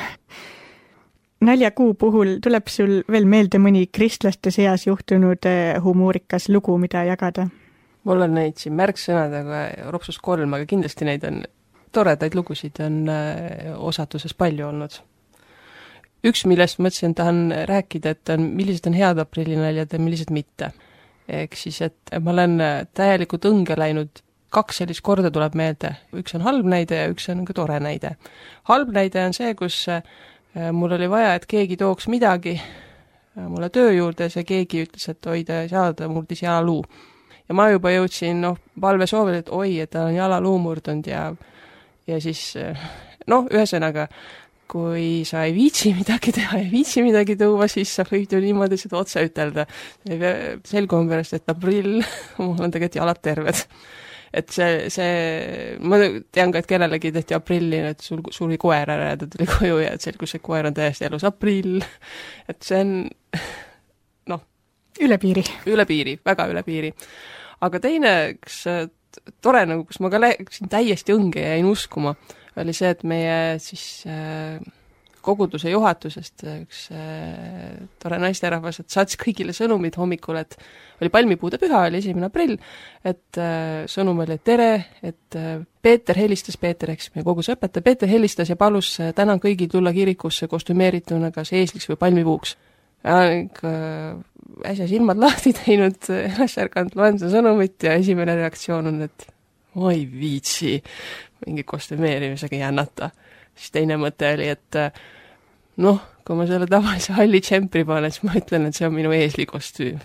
Naljakuu puhul tuleb sul veel meelde mõni kristlaste seas juhtunud humoorikas lugu, mida jagada? Mul on neid siin märksõnadega ropsus 3, aga kindlasti neid on toredaid lugusid on osatuses palju olnud. Üks, millest mõtlesin, tahan rääkida, et millised on head aprillinäljad ja millised mitte. Ehk siis, et ma olen täielikult õnge läinud, 2 sellist korda tuleb meelde. Üks on halb näide ja üks on ka tore näide. Halb näide on see, kus mul oli vaja, et keegi tooks midagi mulle töö juurde ja see keegi ütles, et oi, ta ei saa, ta murdis jalaluu. Ja ma juba jõudsin palve soovil, et oi, et ta on jalaluu murdunud ja siis ühesõnaga, kui sa ei viitsi midagi teha, ei viitsi midagi tuua, siis sa võid ju niimoodi seda otse ütelda. Selgum pärast, et aprill, mul on tegelikult jalad terved. Et ma tean ka, et kellelegi tehti aprilli, et sul suri koer ära ja ta tuli koju ja selgus, et koer on täiesti elus aprill. Et see on, üle piiri, väga üle piiri. Aga teine, tore, kus ma ka läksin täiesti õnge ja jäin uskuma, oli see, et meie siis koguduse juhatusest üks tore naisterahvas, et saatis kõigile sõnumid hommikul, et oli palmipuude püha, oli 1. aprill, et sõnum oli, et tere, et Peeter helistas, eks meie koguse õpetaja, Peeter helistas ja palus täna kõigil tulla kirikusse kostümeerituna kas eesliks või palmipuuks. Ja äsja silmad lahti teinud, ülesärganud, loen seda sõnumit ja esimene reaktsioon on, et ma ei viitsi mingi kostümeerimisega jännata. Siis teine mõte oli, et kui ma selle tavalise halli tšempri panen, siis ma ütlen, et see on minu eeslikostüüm.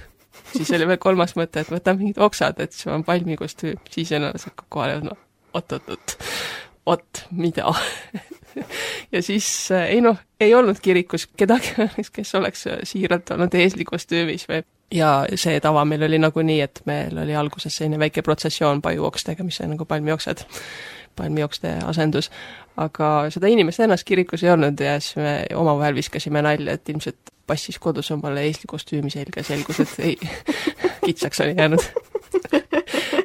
Siis oli veel 3. mõte, et võtan mingid oksad, et see on palmikostüüm. Siis ennast hakkab kohale, oot, mida? Ja siis ei olnud kirikus kedagi, kes oleks siiralt olnud eeslikostüümis või. Ja see tava meil oli nagu nii, et meil oli alguses selline väike protsessioon pajuokstega, mis on nagu palmiokste asendus. Aga seda inimest ennast kirikus ei olnud ja siis me omavahel viskasime nalja, et ilmselt passis kodus omale eeslikostüümi selga selgus, et ei, kitsaks oli jäänud.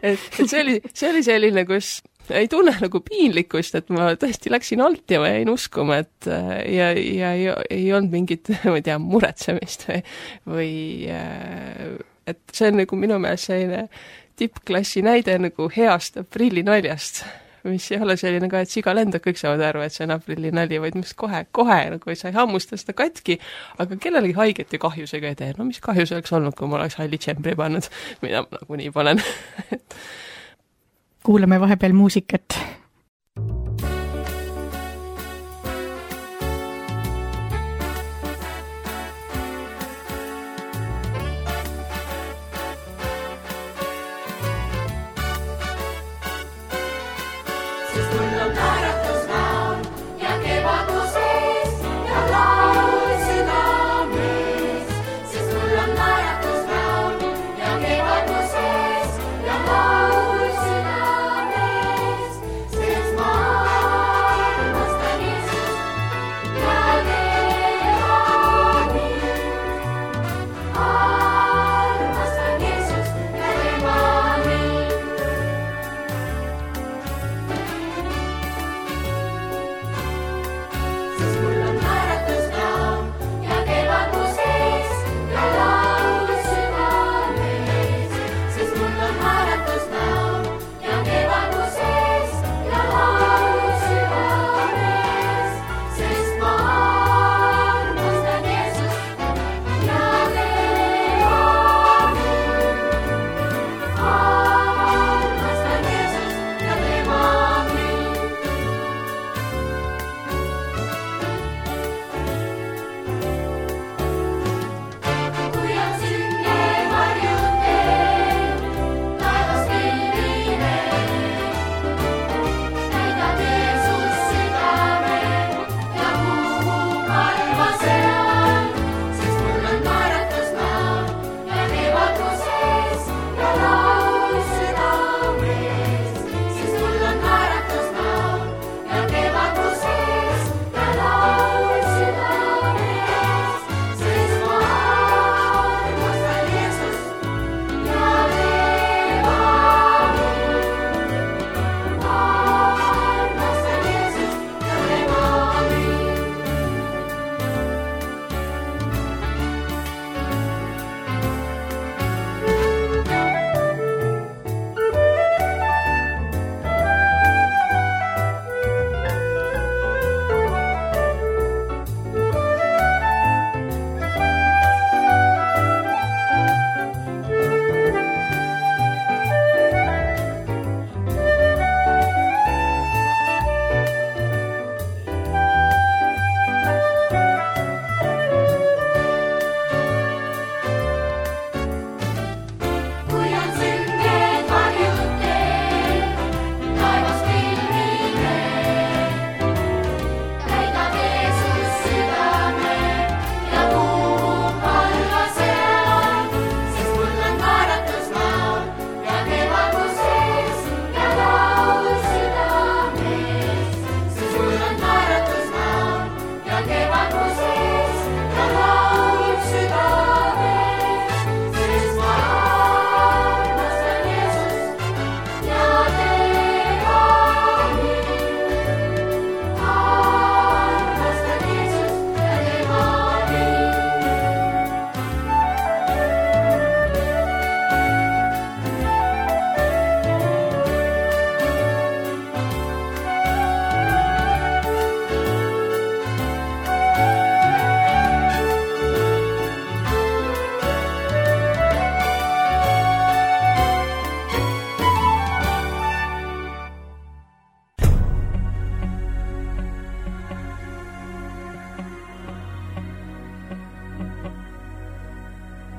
et see oli selline, kus ei tunne nagu piinlikkust, et ma tõesti läksin alt ja ma jäin uskuma, et ja ei olnud mingit, ma ei tea, muretsemist või et see on nagu minu meelest selline tippklassi näide nagu heast aprillinaljast, mis ei ole selline ka, et siga lendab, kõik saavad aru, et see on aprillinali, vaid mis kohe nagu sa ei hammusta seda katki, aga kellelegi haiget ja kahjusega ei tee. No mis kahjus oleks olnud, kui ma oleks halli tšempri pannud, mida ma nagunii panen. Kuulame vahepeal muusikat.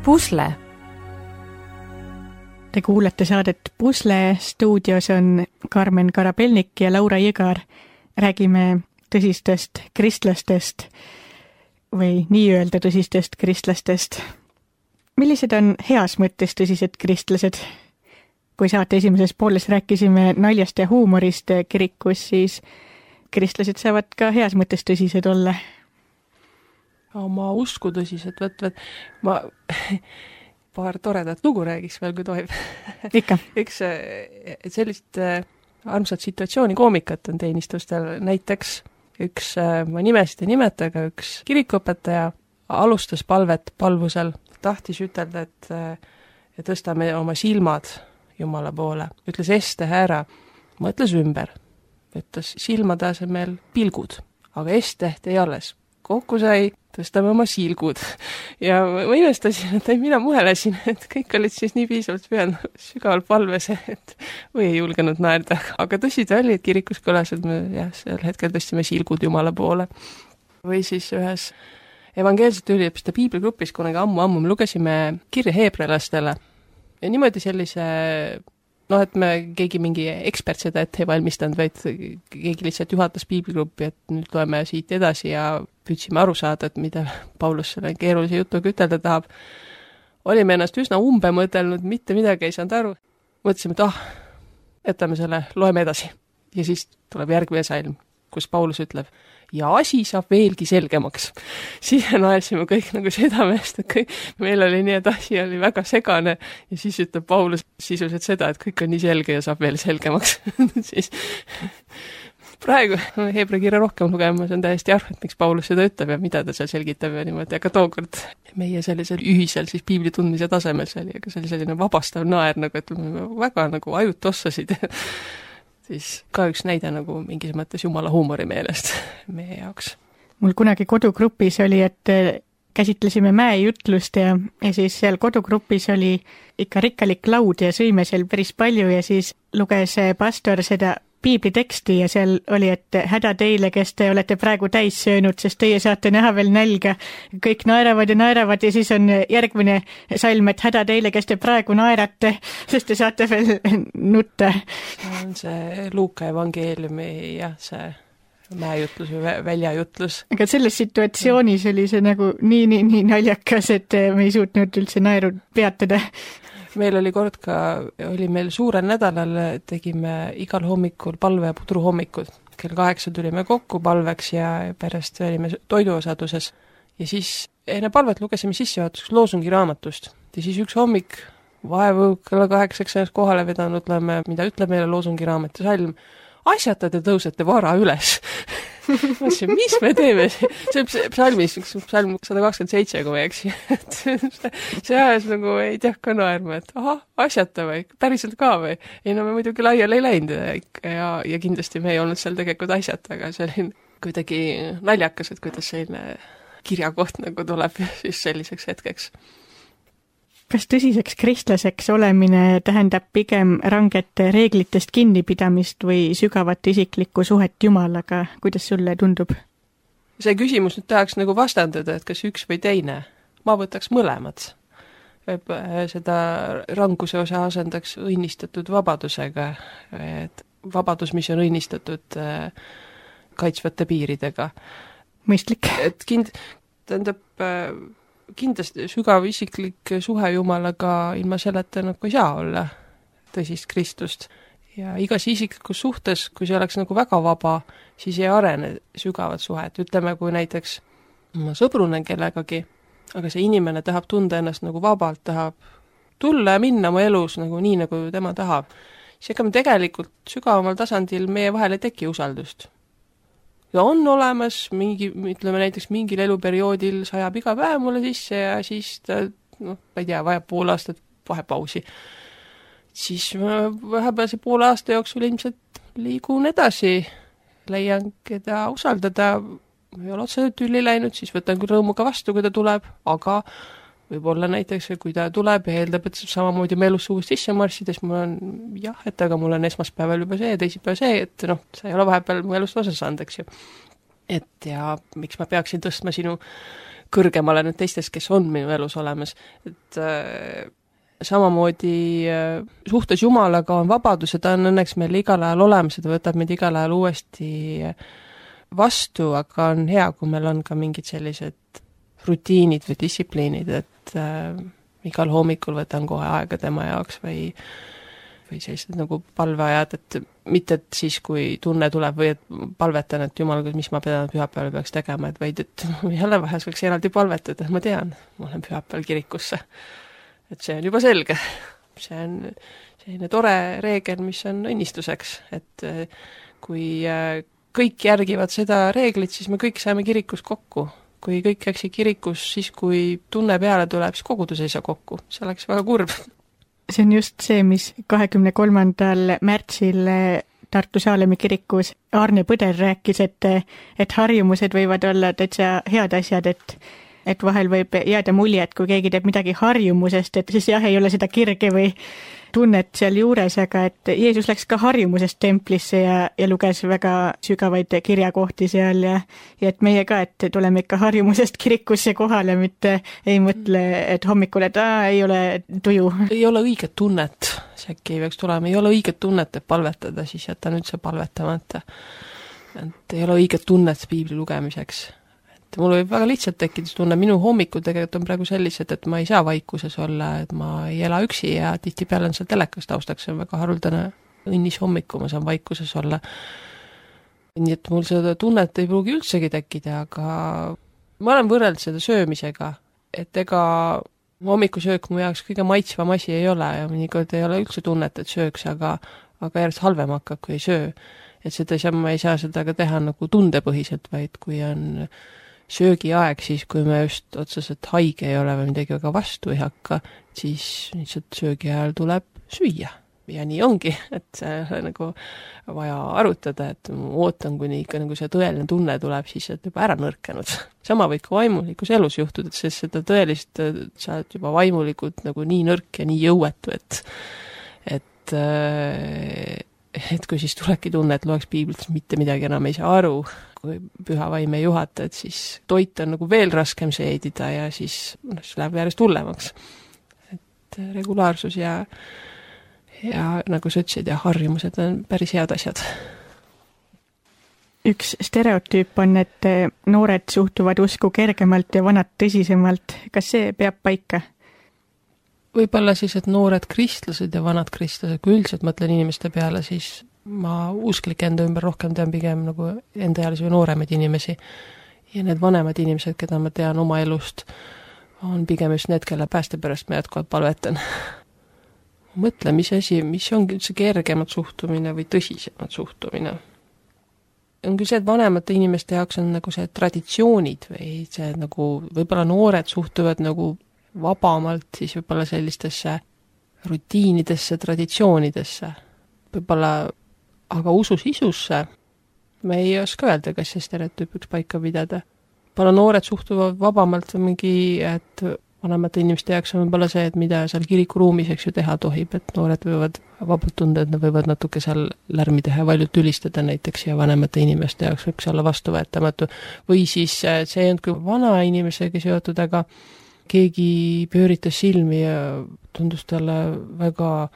Pusle. Te kuulete saadet Pusle, stuudios on Karmen Karabelnik ja Laura Jõgar. Räägime tõsistest kristlastest või nii-öelda tõsistest kristlastest. Millised on heas mõttes tõsised kristlased? Kui saate esimeses pooles rääkisime naljast ja huumorist kirikus, siis kristlased saavad ka heas mõttes tõsised olla. Oma usku tõsiselt, ma paar toredat lugu räägiks veel, kui tohib. Ikka. Üks sellist armsat situatsiooni koomikat on teenistustel. Näiteks üks, ma nimesid ei nimeta, aga üks kirikuõpetaja alustas palvet palvusel, tahtis ütelda, ja tõstame oma silmad Jumala poole. Ütles este ära, mõtles ümber, ütles silmade asemel pilgud, aga este ei alles. Kokku sai, tõstame oma silgud. Ja ma imestasin, et mina muhelesin, et kõik olid siis nii piisavalt pühanud sügavalt palves, et või ei julgenud naerda. Aga tõsi ta oli, et kirikus kõlas, et me sel hetkel tõstsime silgud Jumala poole. Või siis ühes evangeelsete üliõpilaste piibligrupis kunagi ammu me lugesime kirja heebrealastele. Ja niimoodi sellise, et me keegi mingi ekspert seda ette ei valmistanud, vaid keegi lihtsalt juhatas piibligruppi, et nüüd loeme siit edasi ja püüdsime aru saada, et mida Paulus selle keerulise jutuga ütelda tahab. Olime ennast üsna umbe mõtelnud, mitte midagi ei saanud aru. Mõtlesime, et jätame selle, loeme edasi. Ja siis tuleb järgmine salm, kus Paulus ütleb, ja asi saab veelgi selgemaks. Siis naersime kõik nagu südamest, et meil oli nii, et asi oli väga segane ja siis ütleb Paulus sisuliselt seda, et kõik on nii selge ja saab veel selgemaks. Siis praegu Heebra kirja rohkem lugema, see on täiesti aru, et miks Paulus seda ütleb ja mida ta seal selgitab ja niimoodi, aga tookord meie sellisel ühisel siis piibli tundmise tasemel see oli, aga see oli selline vabastav naer, nagu et väga nagu ajud tossasid. Siis ka üks näide nagu mingis mõttes Jumala huumori meelest meie jaoks. Mul kunagi kodugrupis oli, et käsitlesime mäejutlust ja siis seal kodugrupis oli ikka rikkalik laud ja sõime seal päris palju ja siis luges pastor seda piibliteksti ja seal oli, et häda teile, kes te olete praegu täis söönud, sest teie saate näha veel nälga. Kõik naeravad ja siis on järgmine salm, et häda teile, kes te praegu naerate, sest te saate veel nutta. On see Luuka evangeeliumi, see mäejutlus või väljajutlus. Aga selles situatsioonis oli see nagu nii naljakas, et me ei suutnud üldse naeru peatada. Meil oli kord oli meil suurel nädalal, tegime igal hommikul palve ja pudruhommikud. Kell 8 tulime kokku palveks ja pärast olime toiduosaduses. Ja siis enne palvet lugesime sissejuhatuseks loosungi raamatust. Ja siis üks hommik vaevu kella 8 kohale vedanud, mida ütleb meile loosungi raamatu salm. Asjata te tõusete vara üles. Mõtlesin, mis me teeme? See psalmis, psalm 127, kui ma ei eksi. See ajas nagu ei tea ka naerma, et asjata või, päriselt ka või. Ei, no me muidugi laiali ei läinud ja kindlasti me ei olnud seal tegelikult asjata, aga see oli kuidagi naljakas, et kuidas selline kirjakoht nagu tuleb siis selliseks hetkeks. Kas tõsiseks kristlaseks olemine tähendab pigem ranget reeglitest kinnipidamist või sügavat isiklikku suhet Jumalaga? Kuidas sulle tundub? See küsimus nüüd tahaks nagu vastandada, et kas üks või teine. Ma võtaks mõlemad. Seda ranguse osa asendaks õnnistatud vabadusega. Et vabadus, mis on õnnistatud kaitsvate piiridega. Mõistlik. Et kindlasti sügav isiklik suhe Jumalaga ilma selleta nagu ei saa olla tõsist Kristust. Ja igas isiklikus suhtes, kui see oleks nagu väga vaba, siis ei arene sügavat suhet. Ütleme, kui näiteks ma sõbrunen kellegagi, aga see inimene tahab tunda ennast nagu vabalt, tahab tulla ja minna oma elus nagu nii, nagu tema tahab. siis ega me tegelikult sügavamal tasandil meie vahel ei teki usaldust. Ja on olemas ütleme näiteks mingil eluperioodil sajab iga päev mulle sisse ja siis ta, ma ei tea, vajab pool aastat vahepausi. Siis vahepealse poole aasta jooksul ilmselt liigun edasi, leian keda usaldada, ei ole otseselt tülli läinud, siis võtan küll rõõmuga vastu, kui ta tuleb, aga võib-olla näiteks, kui ta tuleb ja eeldab, et samamoodi me elus uuesti sisse marssides, mul on jah, et aga mul on esmaspäeval juba see ja teisipäev see, et sa ei ole vahepeal mu elust osa saanud, eks ju. Et ja miks ma peaksin tõstma sinu kõrgemale nüüd teistest, kes on minu elus olemas, et samamoodi suhtes Jumalaga on vabadus ja ta on õnneks meil igal ajal olemas ja ta võtab meid igal ajal uuesti vastu, aga on hea, kui meil on ka mingid sellised rutiinid või distsipliinid, et igal hommikul võtan kohe aega tema jaoks või sellised nagu palveajad, et mitte et siis, kui tunne tuleb või et palvetan, et Jumal, mis ma pühapäeval peaks tegema, et vaid, et jälle vahest võiks eraldi palvetada, et ma tean, ma olen pühapäeval kirikusse. Et see on juba selge. See on selline tore reegel, mis on õnnistuseks, et kui kõik järgivad seda reeglit, siis me kõik saame kirikus kokku. Kui kõik käiksid kirikus, siis kui tunne peale tuleb, siis kogudus ei saa kokku. See oleks väga kurb. See on just see, mis 23. märtsil Tartu Saalemi kirikus Arne Põder rääkis, et harjumused võivad olla täitsa head asjad, et vahel võib jääda mulje, et kui keegi teeb midagi harjumusest, et siis jah, ei ole seda kirge või tunnet seal juures, aga et Jeesus läks ka harjumusest templisse ja luges väga sügavaid kirjakohti seal ja et meie ka, et tuleme ikka harjumusest kirikusse kohale, mitte ei mõtle, et hommikul, et ei ole tuju. Ei ole õiget tunnet, see äkki ei peaks tulema, ei ole õiget tunnet, et palvetada, siis jätan üldse palvetamata. Et ei ole õiget tunnet piibli lugemiseks. Mul võib väga lihtsalt tekkida tunne, minu hommikud tegelikult on praegu sellised, et ma ei saa vaikuses olla, et ma ei ela üksi ja tihtipeale on seal telekas taustaks, see on väga haruldane õnnis hommiku, ma saan vaikuses olla. Nii et mul seda tunnet ei pruugi üldsegi tekkida, aga ma olen võrreld seda söömisega, et ega hommikusöök mu jaoks kõige maitsvam asi ei ole ja mõnikord ei ole üldse tunnet, et sööks, aga järjest halvem hakkab, kui ei söö. Et seda ma ei saa seda ka teha nagu tundepõhiselt, vaid kui on söögiaeg, siis kui me just otseselt haige ei ole või midagi väga vastu ei hakka, siis lihtsalt söögi ajal tuleb süüa. Ja nii ongi, et see nagu vaja arutada, et ma ootan, kuni ikka nagu see tõeline tunne tuleb, siis et juba ära nõrkenud. Sama võib ka vaimulikus elus juhtuda, et seda tõelist sa oled juba vaimulikult nagu nii nõrk ja nii jõuetu, et kui siis tulebki tunne, et loeks piiblit, mitte midagi enam ei saa aru, kui püha vaim ei juhata, et siis toit on nagu veel raskem seedida ja siis läheb järjest hullemaks. Et regulaarsus ja nagu sa ütlesid, ja harjumused on päris head asjad. Üks stereotüüp on, et noored suhtuvad usku kergemalt ja vanad tõsisemalt. Kas see peab paika? Võib-olla siis, et noored kristlased ja vanad kristlased, kui üldiselt mõtlen inimeste peale, siis ma usklik enda ümber rohkem tean pigem nagu endaealisi või nooremaid inimesi. Ja need vanemad inimesed, keda ma tean oma elust, on pigem just need, kelle pääste pärast ma jätkuvalt palvetan. Mõtle, mis ongi üldse kergemat suhtumine või tõsisemat suhtumine. On küll see, et vanemate inimeste jaoks on nagu see traditsioonid või see nagu võib-olla noored suhtuvad nagu vabamalt siis võib-olla sellistesse rutiinidesse, traditsioonidesse. Võib-olla aga usu sisusse me ei oska öelda, kas see stereotüüpiks paika pidada. Võib-olla noored suhtuvad vabamalt mingi, et vanemate inimeste jaoks on võib-olla see, et mida seal kirikuruumis eks ju teha tohib, et noored võivad vabalt tunda, et nad võivad natuke seal lärmi teha ja valjult ülistada näiteks ja vanemate inimeste jaoks võiks olla vastuvõetamatu. Või siis see on kui vana inimesega seotud, aga keegi pööritas silmi ja tundus talle väga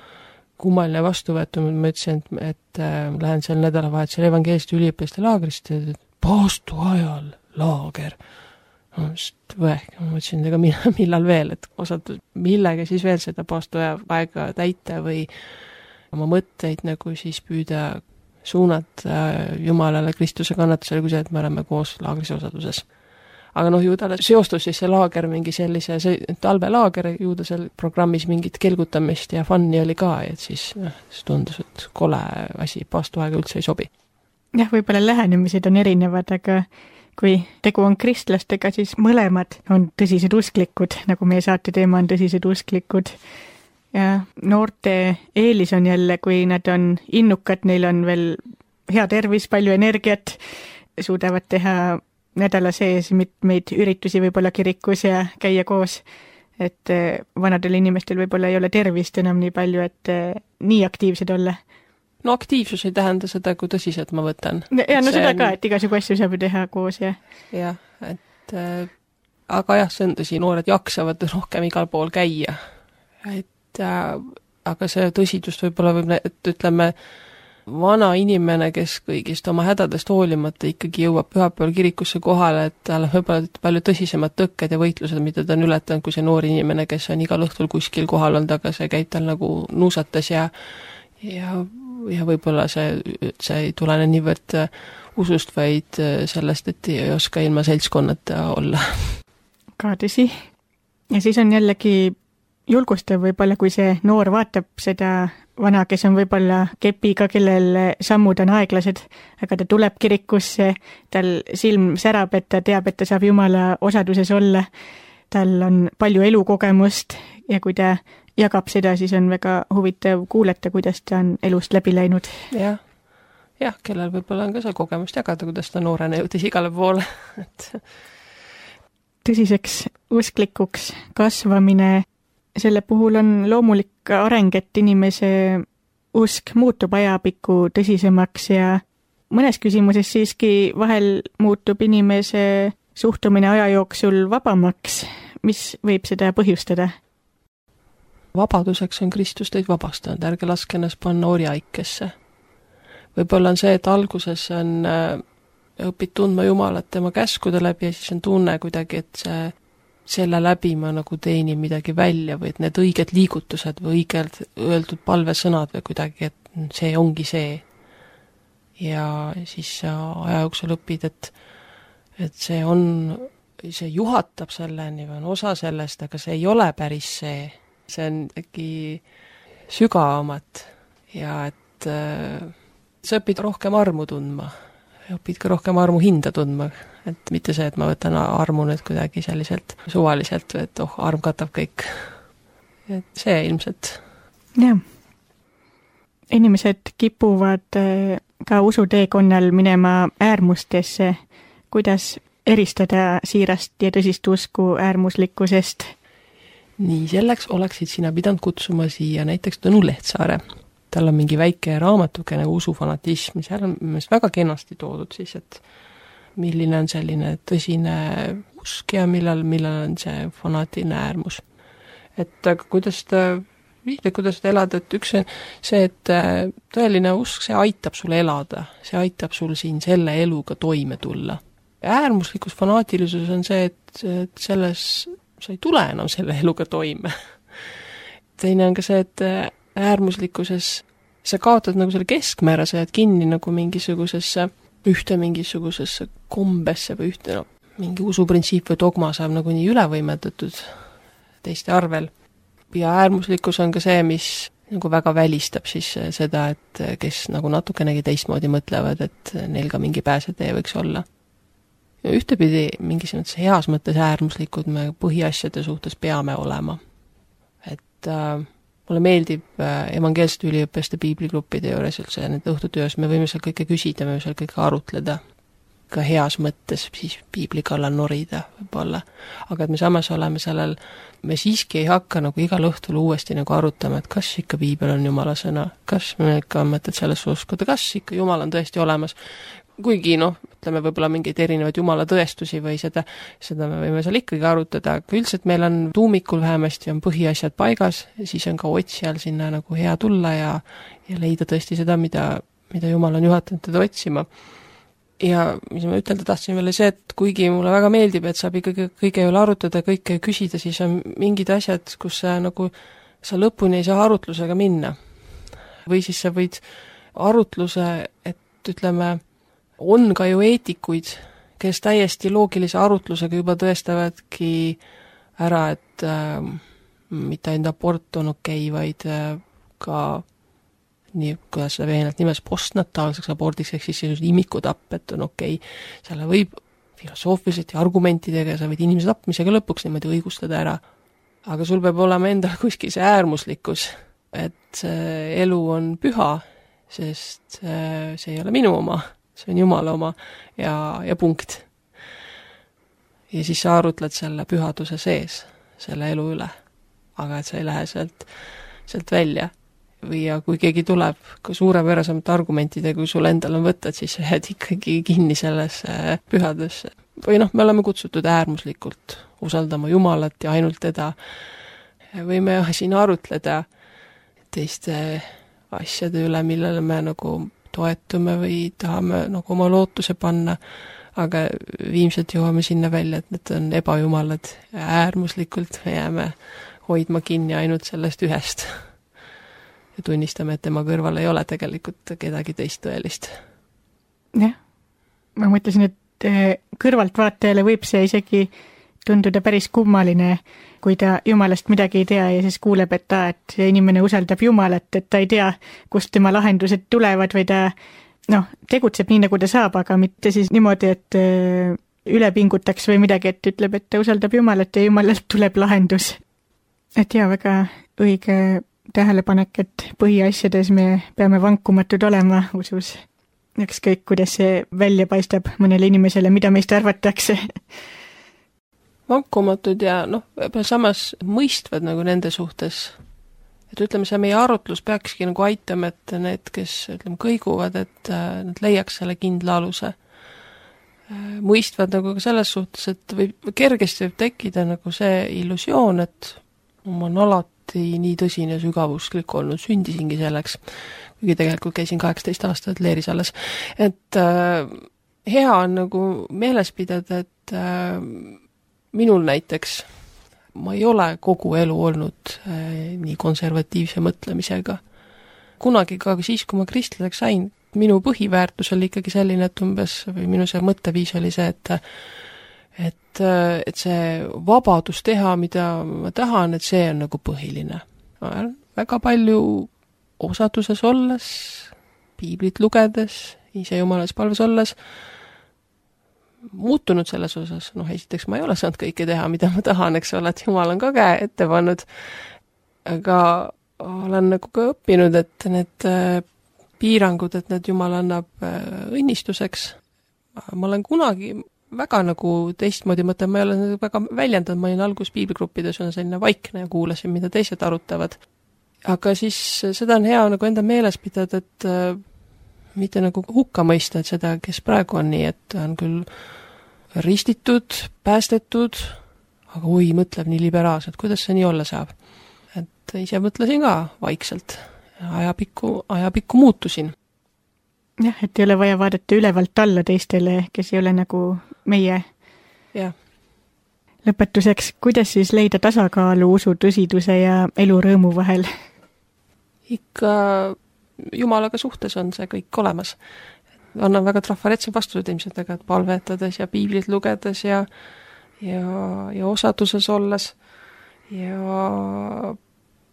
kummaline vastuvõetu, ma ütlesin, et lähen seal nädalavahetusel evangeeliste üliõpilaste laagrist, et paastu ajal laager. Ma mõtlesin, ega millal veel, et osad millega siis veel seda paastu aega täita või oma mõtteid nagu siis püüda suunata Jumalale Kristuse kannatusele, kui see, et me oleme koos laagris osaduses. Aga ju talle seostus siis see laager mingi sellise, see talvelaager, ju ta seal programmis mingit kelgutamist ja funni oli ka, et siis tundus, et kole asi, paastuaega üldse ei sobi. Jah, võib-olla lähenemised on erinevad, aga kui tegu on kristlastega, siis mõlemad on tõsised usklikud, nagu meie saate teema on tõsised usklikud. Ja noorte eelis on jälle, kui nad on innukad, neil on veel hea tervis, palju energiat, suudavad teha nädala sees mitmeid üritusi võib-olla kirikus ja käia koos, et vanadel inimestel võib-olla ei ole tervist enam nii palju, et nii aktiivsed olla. No aktiivsus ei tähenda seda, kui tõsiselt ma võtan. Ja no seda ka, et igasugu asju saab teha koos ja. Jah, et aga jah, see on tõsi, noored jaksavad rohkem igal pool käia. Aga see tõsidust võib-olla et ütleme, vana inimene, kes kõigist oma hädadest hoolimata ikkagi jõuab pühapäeval kirikusse kohale, et tal on võib-olla palju tõsisemad tõkked ja võitlused, mida ta on ületanud, kui see noor inimene, kes on igal õhtul kuskil kohal olnud, aga see käib tal nagu nuusates ja võib-olla see ei tulene niivõrd usust, vaid sellest, et ei oska ilma seltskonnata olla. Ka tõsi. Ja siis on jällegi julgustav võib-olla, kui see noor vaatab seda vana, kes on võib-olla kepiga, kellel sammud on aeglased, aga ta tuleb kirikusse, tal silm särab, et ta teab, et ta saab Jumala osaduses olla, tal on palju elukogemust ja kui ta jagab seda, siis on väga huvitav kuulata, kuidas ta on elust läbi läinud. Jah, kellel võib-olla on ka see kogemust jagada, kuidas ta noorena jõudis igale poole. Tõsiseks usklikuks kasvamine, selle puhul on loomulik areng, et inimese usk muutub ajapikku tõsisemaks ja mõnes küsimuses siiski vahel muutub inimese suhtumine aja jooksul vabamaks. Mis võib seda põhjustada? Vabaduseks on Kristus teid vabastanud, ärge laske ennast panna orjaikesse. Võib-olla on see, et alguses on õpid tundma Jumalat tema käskude läbi ja siis on tunne kuidagi, et selle läbi ma nagu teenin midagi välja või et need õiged liigutused või õigelt öeldud palvesõnad või kuidagi, et see ongi see. Ja siis aja jooksul õpid, et see juhatab selleni või on osa sellest, aga see ei ole päris see. See on äkki sügavamat ja et sa õpid rohkem armu tundma. Õpid ka rohkem armu hinda tundma. Et mitte see, et ma võtan armu nüüd kuidagi selliselt suvaliselt, et arm katab kõik. Et see ilmselt. Jah. Inimesed kipuvad ka usuteekonnal minema äärmustesse. Kuidas eristada siirast ja tõsist usku äärmuslikkusest? Nii, selleks oleksid sina pidanud kutsuma siia näiteks Tõnu Lehtsaare. Tal on mingi väike raamatuke nagu usufanatism, seal on väga kenasti toodud siis, et milline on selline tõsine usk ja millal on see fanaatiline äärmus. Et aga kuidas ta elada, et üks on see, et tõeline usk, see aitab sul elada, see aitab sul siin selle eluga toime tulla. Äärmuslikus fanaatilisus on see, et selles sa ei tule enam selle eluga toime. Teine on ka see, et äärmuslikkuses sa kaotad nagu selle keskmäära, sa jääd kinni nagu mingisugusesse kombesse või mingi usuprintsiip või dogma saab nagu nii ülevõimetatud teiste arvel. Ja äärmuslikkus on ka see, mis nagu väga välistab siis seda, et kes nagu natukenegi teistmoodi mõtlevad, et neil ka mingi pääsetee võiks olla. Ja ühtepidi mingis mõttes heas mõttes äärmuslikud me põhiasjade suhtes peame olema. Et mulle meeldib evangeelsete üliõpilaste piibligruppide juures üldse nende õhtutöös, me võime seal kõike küsida, me võime seal kõike arutleda. Ka heas mõttes siis piibli kallal norida võib-olla. Aga et me samas oleme sellel, me siiski ei hakka nagu igal õhtul uuesti nagu arutama, et kas ikka piibel on Jumala sõna, kas me ikka on mõtet selles uskuda, kas ikka Jumal on tõesti olemas. Kuigi ütleme võib-olla mingeid erinevaid Jumala tõestusi või seda me võime seal ikkagi arutada, aga üldiselt meil on tuumikul vähemasti on põhiasjad paigas, siis on ka otsijal sinna nagu hea tulla ja leida tõesti seda, mida Jumal on juhatanud teda otsima. Ja mis ma ütelda tahtsin veel see, et kuigi mulle väga meeldib, et saab ikkagi kõige üle arutada, kõike küsida, siis on mingid asjad, kus sa lõpuni ei saa arutlusega minna. Või siis sa võid arutluse, et ütleme, on ka ju eetikuid, kes täiesti loogilise arutlusega juba tõestavadki ära, et mitte ainult abort on okei, vaid ka nii, kuidas seda veenelt nimes postnataalseks abordiks, ehk siis imikutapp, et on okei. Selle võib filosoofiliselt ja argumentidega, sa võid inimese tapmisega lõpuks niimoodi õigustada ära. Aga sul peab olema endal kuskil see äärmuslikkus, et elu on püha, sest see ei ole minu oma. See on Jumala oma ja punkt. Ja siis sa arutled selle pühaduse sees, selle elu üle. Aga et sa ei lähe sealt välja. Või ja kui keegi tuleb ka suurepärasemate argumentidega, kui sul endal on võtta, siis sa jääd ikkagi kinni sellesse pühadesse. Või me oleme kutsutud äärmuslikult usaldama Jumalat ja ainult teda. Võime siin arutleda teiste asjade üle, millele me nagu toetume või tahame nagu oma lootuse panna, aga viimselt jõuame sinna välja, et need on ebajumalad ja äärmuslikult me jääme hoidma kinni ainult sellest ühest ja tunnistame, et tema kõrval ei ole tegelikult kedagi teist tõelist. Jah, ma mõtlesin, et kõrvaltvaatajale võib see isegi tunduda päris kummaline, kui ta Jumalast midagi ei tea ja siis kuuleb, et see inimene usaldab Jumalat, et ta ei tea, kust tema lahendused tulevad või ta tegutseb nii, nagu ta saab, aga mitte siis niimoodi, et üle pingutaks või midagi, et ütleb, et ta usaldab Jumalat ja Jumalalt tuleb lahendus. Et väga õige tähelepanek, et põhiasjades me peame vankumatud olema usus. Ükskõik, kuidas see välja paistab mõnele inimesele, mida meist arvatakse. Vankumatud ja samas mõistvad nagu nende suhtes. Et ütleme, see meie arutlus peakski nagu aitama, et need, kes kõiguvad, et nad leiaks selle kindla aluse. Mõistvad nagu ka selles suhtes, et kergesti võib tekkida nagu see illusioon, et ma olen alati nii tõsine ja sügavusklik olnud, sündisingi selleks, kuigi tegelikult käisin 18 aastat leeris alles. Et hea on nagu meeles pidada, et minul näiteks ma ei ole kogu elu olnud nii konservatiivse mõtlemisega. Kunagi ka siis, kui ma kristlaseks sain, minu põhiväärtus oli ikkagi selline, et umbes, või minu see mõtteviis oli see, et see vabadus teha, mida ma tahan, et see on nagu põhiline. Väga palju osaduses olles, piiblit lugedes, ise jumales palves olles, muutunud selles osas. Esiteks ma ei ole saanud kõike teha, mida ma tahan, eks ole, et jumal on ka käe ette pannud. Aga olen nagu ka õppinud, et need piirangud, et need jumal annab õnnistuseks. Ma olen kunagi väga nagu teistmoodi mõtlen, ma ei ole väga väljendanud, ma olin algus piibligruppides, on selline vaikne ja kuulasin, mida teised arutavad. Aga siis seda on hea nagu enda meeles pidada, et mitte nagu hukka mõista, et seda, kes praegu on nii, et on küll ristitud, päästetud, aga mõtleb nii liberaalselt, kuidas see nii olla saab. Et ise mõtlesin ka vaikselt, ajapikku muutusin. Jah, et ei ole vaja vaadata ülevalt alla teistele, kes ei ole nagu meie. Jah. Lõpetuseks, kuidas siis leida tasakaalu usu tõsiduse ja elu rõõmu vahel? Ikka Jumalaga suhtes on see kõik olemas. Annan väga trafaretse vastused ilmselt, et palvetades ja piiblit lugedes ja osaduses olles ja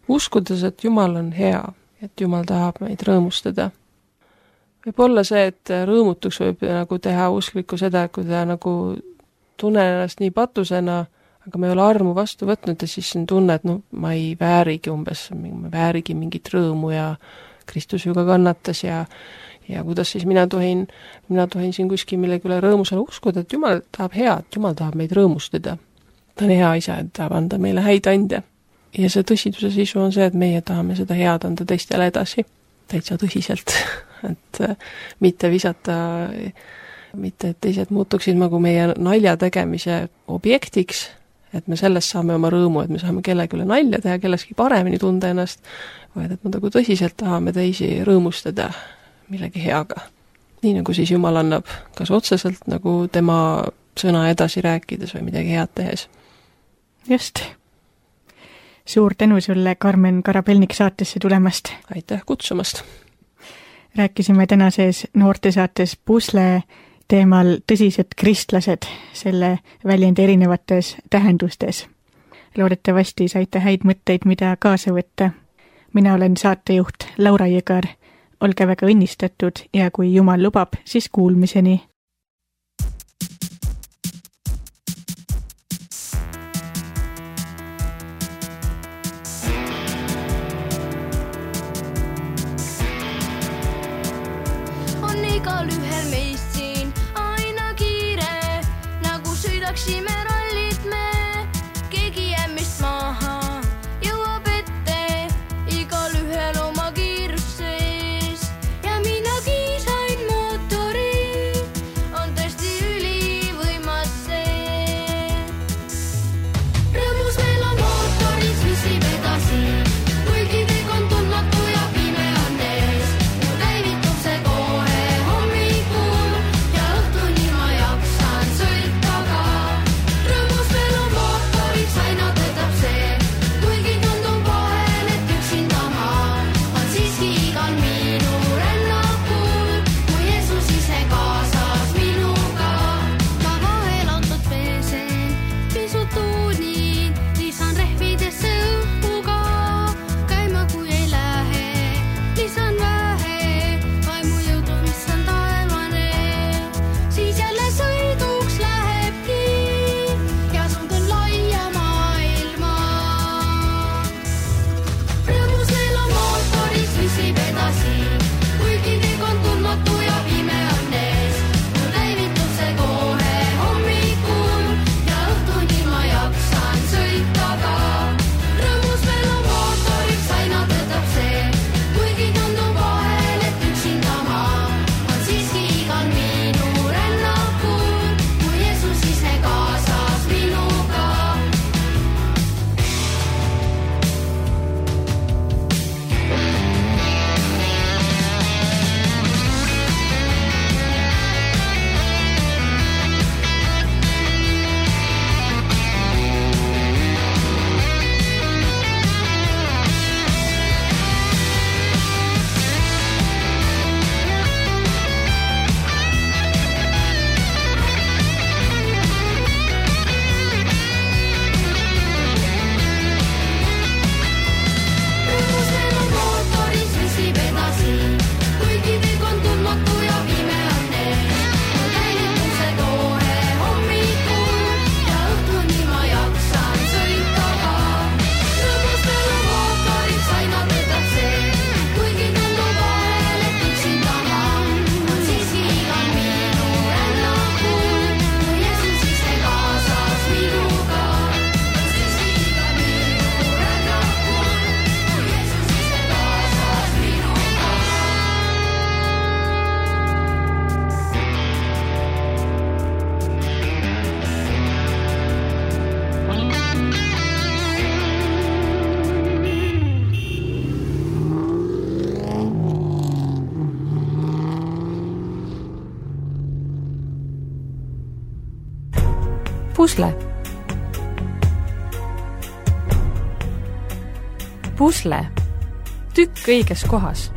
uskudes, et Jumal on hea, et Jumal tahab meid rõõmustada. Võib olla see, et rõõmutuks võib nagu teha usklikku seda, kui ta nagu tunnen ennast nii patusena, aga me ei ole armu vastu võtnud ja siis on tunne, et ma ei väärigi ma väärigi mingit rõõmu ja Kristus ju ka kannatas ja kuidas siis mina tohin siin kuskil millegi üle rõõmusele uskuda, et Jumal tahab head, Jumal tahab meid rõõmustada. Ta on hea isa, et tahab anda meile häid ande. Ja see tõsiduse sisu on see, et meie tahame seda head anda teistele edasi. Täitsa tõsiselt. Et mitte visata, mitte et teised muutuksid nagu meie nalja tegemise objektiks, et me sellest saame oma rõõmu, et me saame kellegi üle nalja teha, kelleski paremini tunda ennast, vaid et me nagu tõsiselt tahame teisi rõõmustada millegi heaga. Nii nagu siis Jumal annab kas otseselt nagu tema sõna edasi rääkides või midagi head tehes. Just. Suur tänu sulle, Karmen Karabelnik, saatesse tulemast. Aitäh kutsumast. Rääkisime tänases noortesaates Pusle teemal tõsised kristlased selle väljendi erinevates tähendustes. Loodetavasti saite häid mõtteid, mida kaasa võtta. Mina olen saatejuht Laura Jõgar. Olge väga õnnistatud ja kui Jumal lubab, siis kuulmiseni. On igal ühel meist siin aina kiire, nagu sõidaksime rallit me, keegi jääb meist maha, jõuab ette, igal ühel oma kiirus sees. Ja minagi sain mootori, on tõesti ülivõimas see. Rõõmus meil on mootoris, mis viib edasi, kuigi kõik on tundmatu ja pime on ees. Mul käivitub see kohe hommikul ja õhtuni ma jaksan sõita ka. Pusle. Pusle. Tükk õiges kohas.